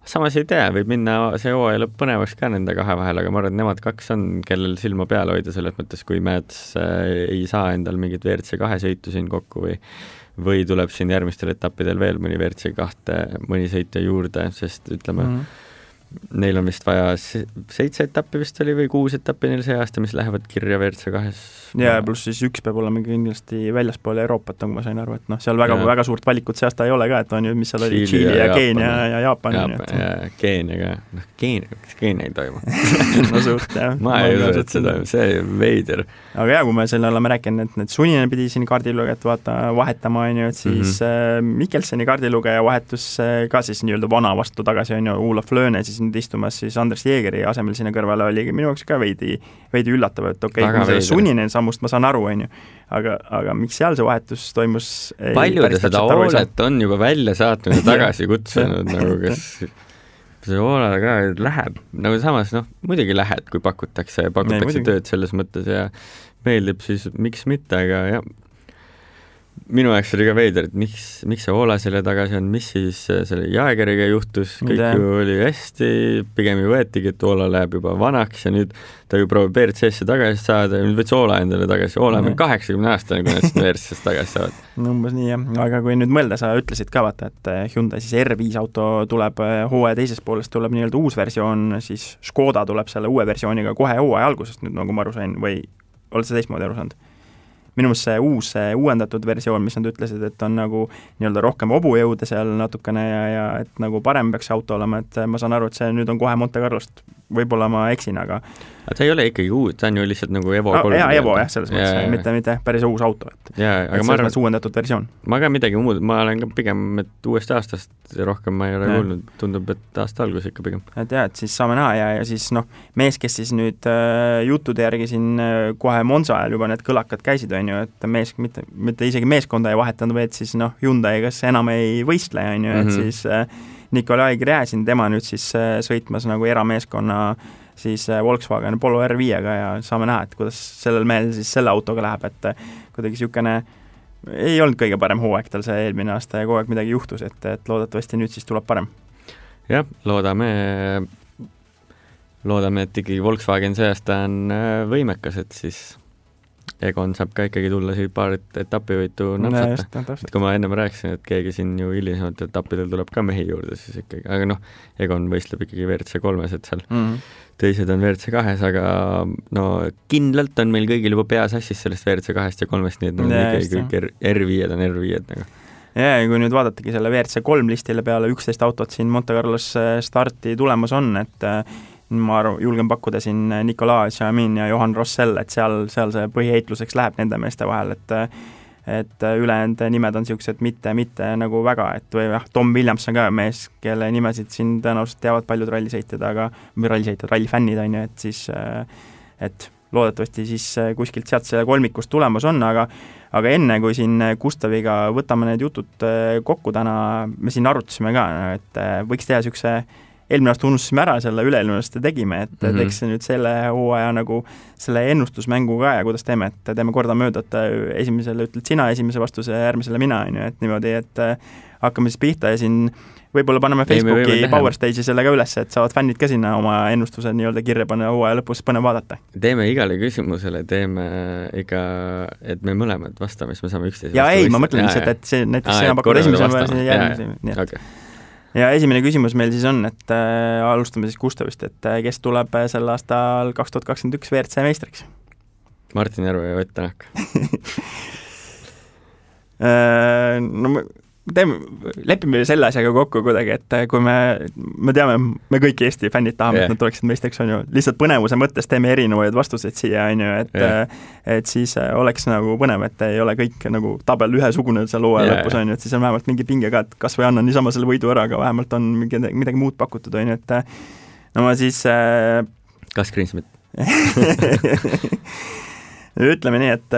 samas ei tea, võib minna see hooaja lõpp põnevaks ka nende kahe vahel, aga ma arvan, et nemad kaks on, kellel silma peal hoida selles mõttes, kui Mäets ei saa endal mingit WRC2 sõitu siin kokku või tuleb siin järgmistel etappidel veel mõni WRC2 mõni sõitja juurde, sest ütleme, neil on vist vaja 7 etappi vist oli või 6 etappi neil see aasta, mis lähevad kirja WRC2-s. Ja pluss siis üks peab olema kindlasti väljaspool Euroopat, nagu ma sain aru, et noh, seal väga suurt valikut see aasta ei ole ka, et on ju, mis seal oli, Tšiili ja Keenia ja Jaapan. Ja Keenia ka, noh Keenia ei toimu. No suurt, jah. Ma ei usu, et seda, see veider. Aga jah, kui me selle oleme rääkinud, et need Suninen pidi siin kaardilugejat vahetama, on ju, et siis Mikkelseni kaardilugeja vahetus ka siis nii-öelda vana vastu tagasi, on ju, Olaf Lööne siis nüüd istumas siis Andres Jeegeri asemel sinna kõrvale oli minu jaoks ka veidi üllatav, et okei, kui selle Suninen sammust ma saan aru, on ju, aga miks seal see vahetus toimus? Palju ta seda Oolet on juba välja saatnud ja tagasi kutsunud, nagu kas see Oola ka läheb, nagu samas, noh, muidugi lähed, kui pakutakse tööd selles mõttes ja meeldib, siis miks mitte, aga jah, minu jaoks oli ka veider, et miks see Oola selle tagasi on, mis siis selle Jaegeriga juhtus, kõik ju oli hästi, pigem ju võetigi, et Oola läheb juba vanaks ja nüüd ta ju proovib WRC-sse tagasi saada ja nüüd võts Oola endale tagasi, Oola on 80-aastane, kui nad seda WRC-sse tagasi saavad. No umbes nii, jah, aga kui nüüd mõelda, sa ütlesid ka vaata, et Hyundai siis R5 auto tuleb hooaja teisest poolest, tuleb nii-öelda uus versioon, siis Škoda tuleb selle uue versiooniga kohe hooaja algusest, nüüd nagu ma aru sain, või oled sa teistmoodi aru saanud? Minu meelest see uus uuendatud versioon, mis nad ütlesid, et on nagu nii-öelda rohkem hobujõude seal natukene ja et nagu parem peaks auto olema, et ma saan aru, et see nüüd on kohe Monte Carlost, võib-olla ma eksin, aga ta ei ole ikkagi uus, ta on ju lihtsalt nagu Evo 3. Evo jah, selles mõttes, mitte päris uus auto, et ma arvan, uuendatud versioon. Ma ka midagi muud, ma olen ka pigem, et uuest aastast rohkem ma ei ole kuulnud, tundub, et aasta algus ikka pigem. Et jah, et siis saame näha ja siis noh, mees, kes siis nüüd juttude järgi siin kohe Monza ajal juba need kõlakad käisid, on ju, et mees, mitte isegi meeskonda ei vahetanud, või et siis noh, Hyundai kas enam ei võistle, on ju, et siis Nikolai Gräzin, tema nüüd siis sõitmas nagu erameeskonna siis Volkswagen Polo R5-ga ja saame näha, et kuidas sellel mehel siis selle autoga läheb, et kuidagi niisugune ei olnud kõige parem hooaeg tal see eelmine aasta ja kogu aeg midagi juhtus, et loodetavasti nüüd siis tuleb parem. Jah, loodame, et ikkagi Volkswagen see aasta on võimekas, et siis Egon saab ka ikkagi tulla siit paar etapivõitu napsata. Et kui ma ennem rääkisin, et keegi siin ju hilisemalt etappidel tuleb ka mehi juurde, siis ikkagi, aga noh, Egon võistleb ikkagi WRC3-s, et seal teised on WRC2-s, aga no kindlalt on meil kõigil juba peas assis sellest WRC2-st ja 3-st, nii et nad ikkagi kõik R5-d on R5-d nagu. Ja kui nüüd vaadatagi selle WRC3 listile peale 11 autot siin Monte Carlos starti tulemas on, et ma julgen pakkuda siin Nicolas Chamin ja Johan Rossell, et seal see põhiheitluseks läheb nende meeste vahel, et ülejäänud nimed on niisugused mitte nagu väga, et või jah, Tom Williams on ka mees, kelle nimesid siin tõenäoliselt teavad paljud rallisõitjad, rallifännid on ju, et siis et loodetavasti siis kuskilt sealt selle kolmikust tulemas on, aga enne, kui siin Gustaviga võtame need jutud kokku täna, me siin arutasime ka, et võiks teha niisuguse eelmine aasta unustasime ära selle, üle-eelmine aasta tegime, et teeks nüüd selle hooaja nagu selle ennustusmängu ka ja kuidas teeme, et teeme kordamööda, et esimesele ütled sina esimese vastuse, järgmisele mina, on ju, et niimoodi, et hakkame siis pihta ja siin võib-olla paneme Facebooki Power Stage'i selle ka üles, et saavad fännid ka sinna oma ennustuse nii-öelda kirja panna hooaja lõpus, põnev vaadata. Teeme igale küsimusele, ikka, et me mõlemad vastame, siis me saame üksteise ja ei, ma mõtlen lihtsalt, et see näiteks sina pakud esimese järgmise. Ja esimene küsimus meil siis on, et alustame siis Gustavist, et kes tuleb sel aastal 2021 WRC meistriks? Martin Järve ja Ott Tänak. No lepime selle asjaga kokku kuidagi, et kui me teame, me kõik Eesti fännid tahame, et nad tuleksid meistriks, on ju, lihtsalt põnevuse mõttes teeme erinevaid vastuseid siia, on ju, et siis oleks nagu põnev, et ei ole kõik nagu tabel ühesugune seal hooaja lõpus, on ju, et siis on vähemalt mingi pinge ka, et kas või annan niisama selle võidu ära, aga vähemalt on midagi muud pakutud, on ju, et no ma siis kas Greensmith? ütleme nii, et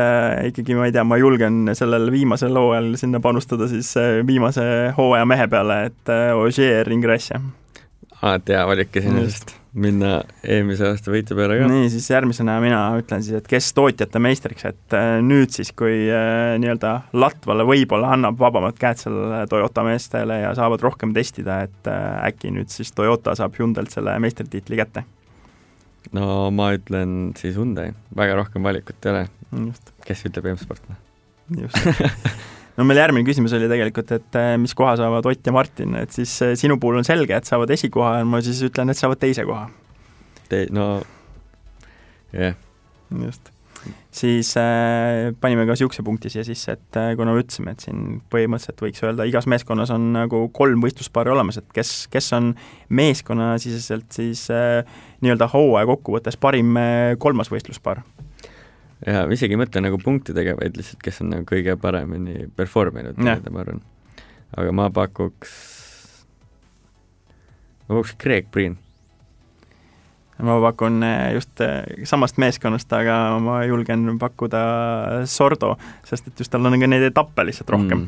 ikkagi ma ei tea, ma julgen sellel viimasel hooajal sinna panustada siis viimase hooaja mehe peale, et Ogier Ingrassia. Alati hea valik iseenesest minna eelmise aasta võitja peale ka. Nii, siis järgmisena mina ütlen siis, et kes tootjate meistriks, et nüüd siis, kui nii-öelda Latvale võib-olla annab vabamad käed sellele Toyota meestele ja saavad rohkem testida, et äkki nüüd siis Toyota saab Hyundailt selle meistritiitli kätte. No ma ütlen siis Hyundai, väga rohkem valikut ei ole. Just. Kes ütleb M-Sport? Just. No meil järgmine küsimus oli tegelikult, et mis koha saavad Ott ja Martin, et siis sinu puhul on selge, et saavad esikoha ja ma siis ütlen, et saavad teise koha. No, jah. Just. Siis panime ka siukse punkti siia sisse, et kuna me ütlesime, et siin põhimõtteliselt võiks öelda, igas meeskonnas on nagu 3 võistluspaari olemas, et kes on meeskonna siseselt siis nii-öelda hooaja kokkuvõttes parim 3. võistluspaar. Ja isegi mõtle nagu punktidega, vaid lihtsalt, kes on nagu kõige paremini performinud, ma arvan. Aga ma pakuks Greg Breen. Ma pakun just samast meeskonnast, aga ma julgen pakkuda Sordo, sest et just tal on ka neid etappe lihtsalt rohkem.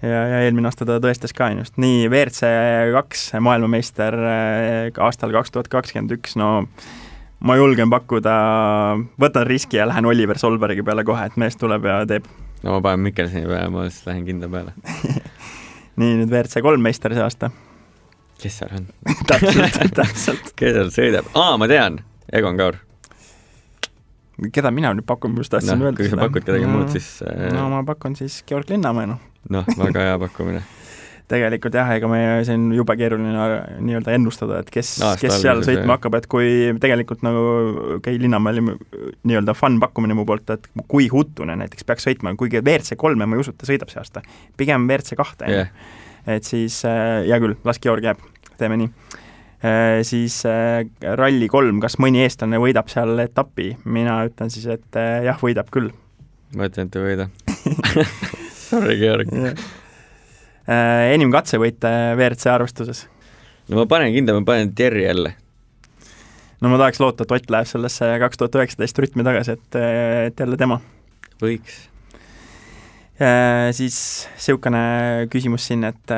Ja eelmine aasta ta tõestas ka just. Nii, WRC2 maailmameister aastal 2021, no ma julgen pakkuda, võtan riski ja lähen Oliver Solbergi peale kohe, et mees tuleb ja teeb. No ma panen Mikkelseni peale, ma siis lähen kindla peale. Nii, nüüd WRC3 meister see aasta. Kes seal on? täpselt. Kes seal sõidab? Ma tean, Egon Kaur. Keda mina nüüd pakun, just tahtsin öelda kui sa pakud kedagi muud, siis... No ma pakun siis Georg Linnamäe, väga hea pakkumine. Tegelikult jah, ega me siin juba keeruline nii-öelda ennustada, et kes seal sõitma hakkab, et kui tegelikult nagu Linnamäel nii-öelda fun pakkumine mu poolt, et kui Huttunen näiteks peaks sõitma, kuigi WRC3 ma ei usu, et ta sõidab see aasta, pigem WRC2, et siis hea küll, las Georg jääb, teeme nii. Siis Rally 3, kas mõni eestlane võidab seal etapi? Mina ütlen siis, et jah, võidab küll. Ma ütlen, et ei võida. Sorry, Georg. Enim katsevõite WRC arvestuses? No ma panen Terri jälle. No ma tahaks loota, et Ott läheb sellesse 2019 rütmi tagasi, et jälle tema. Võiks. Siis siukene küsimus siin, et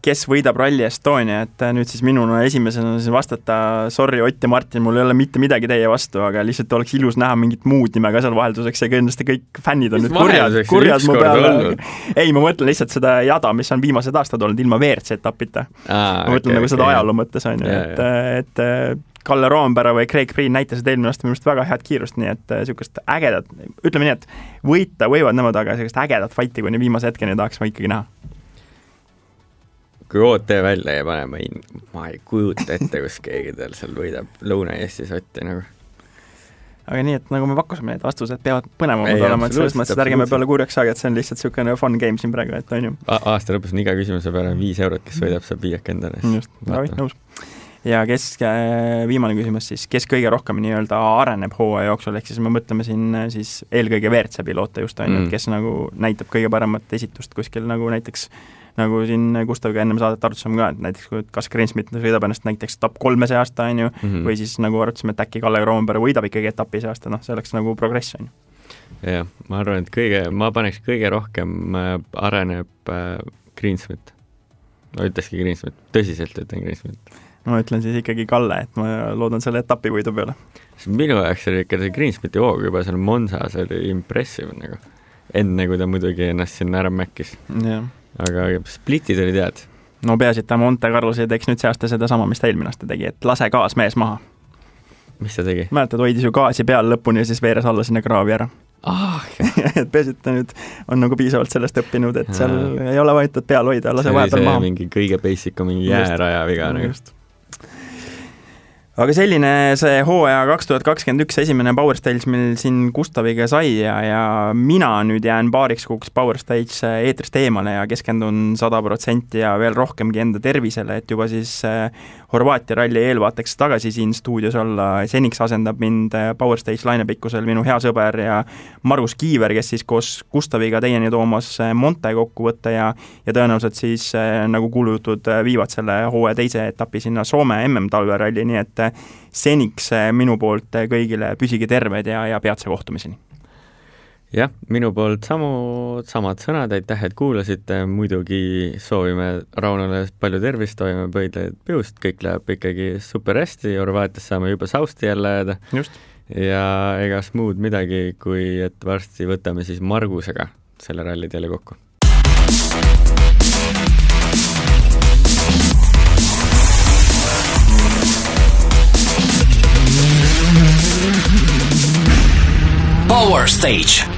kes võidab Rally Estonia, et nüüd siis minuna esimesena vastata, sorry Ott ja Martin, mul ei ole mitte midagi teie vastu, aga lihtsalt oleks ilus näha mingit muud nime ka seal vahelduseks ja kindlasti kõik fännid on nüüd kurjad mu peale. Ei, ma mõtlen lihtsalt seda jada, mis on viimased aastad olnud ilma WRC etapita. Ma mõtlen nagu seda ajaloo mõttes on ju, et Kalle Roomberg või Craig Breen näitasid eelmine aasta minust väga head kiirust, nii et niisugust ägedat, ütleme nii, et võita võivad nemad, aga niisugust ägedat fighti kuni viimase hetkeni tahaks ma ikkagi näha. Kui OT välja ei pane, ma ei kujuta ette, kus keegi tal seal võidab Lõuna-Eestis Otti nagu. Aga nii, et nagu me pakkusime, need vastused peavad põnevamad olema, et selles mõttes, et ärgeme peale kurjaks saagi, et see on lihtsalt niisugune fun game siin praegu, et on ju. Aasta lõpus on iga küsimuse peale 5 eurot, kes võidab, saab 5 endale. Just, nõus. Ja viimane küsimus siis, kes kõige rohkem nii-öelda areneb hooaja jooksul, ehk siis me mõtleme siin siis eelkõige WRC piloote just on, kes nagu näitab kõige paremat esitust kuskil nagu näiteks, nagu siin Gustaviga ennem saadet arutasime ka, et näiteks kui kas Greensmith sõidab ennast näiteks top 3 see aasta on ju, või siis nagu arutasime, et äkki Kalle Roomberg võidab ikkagi etapi see aasta, see oleks nagu progress on ju. Jah, ma arvan, et ma paneks kõige rohkem areneb Greensmith. Ma ütleski Greensmith, tõsiselt ütlen Greensmith. Ma ütlen siis ikkagi Kalle, et ma loodan selle etapi võidu peale. Minu jaoks oli ikka see Greensmithi hoog juba seal Monsas oli impressive nagu. Enne, kui ta muidugi ennast sinna ära mäkkis. Aga splitid oli tead. No peaasi, et ta Monte Carlos ei teeks nüüd see aasta seda sama, mis ta eelmine aasta tegi, et lase gaas mees maha. Mis ta tegi? Mäletad, hoidis ju gaasi peal lõpuni ja siis veeres alla sinna kraavi ära. Et peaasi, et ta nüüd on nagu piisavalt sellest õppinud, et seal ei ole vaid peal hoida, lase vahepeal maha. See oli mingi kõige basic, mingi jääraja viga nagu. Aga selline see hooaja 2021 esimene Power Stage meil siin Gustaviga sai ja mina nüüd jään paariks kuuks Power Stage eetrist eemale ja keskendun 100% ja veel rohkemgi enda tervisele, et juba siis Horvaatia ralli eelvaateks tagasi siin stuudios olla. Seniks asendab mind Power Stage lainepikkusel minu hea sõber ja Margus Kiiver, kes siis koos Gustaviga teieni toomas Monte kokkuvõtte ja tõenäoliselt siis nagu kuulujutud viivad selle hooaja teise etapi sinna Soome MM talveralli, nii et seniks minu poolt kõigile püsige terved ja peatse kohtumiseni. Jah, minu poolt samad sõnad, aitäh, et kuulasite, muidugi soovime Raunole palju tervist, toime pöidlaid piust, kõik läheb ikkagi super hästi, Horvaatias saame juba sausti jälle jääda. Just. Ja egas muud midagi, kui et varsti võtame siis Margusega selle ralli teile kokku. Power Stage.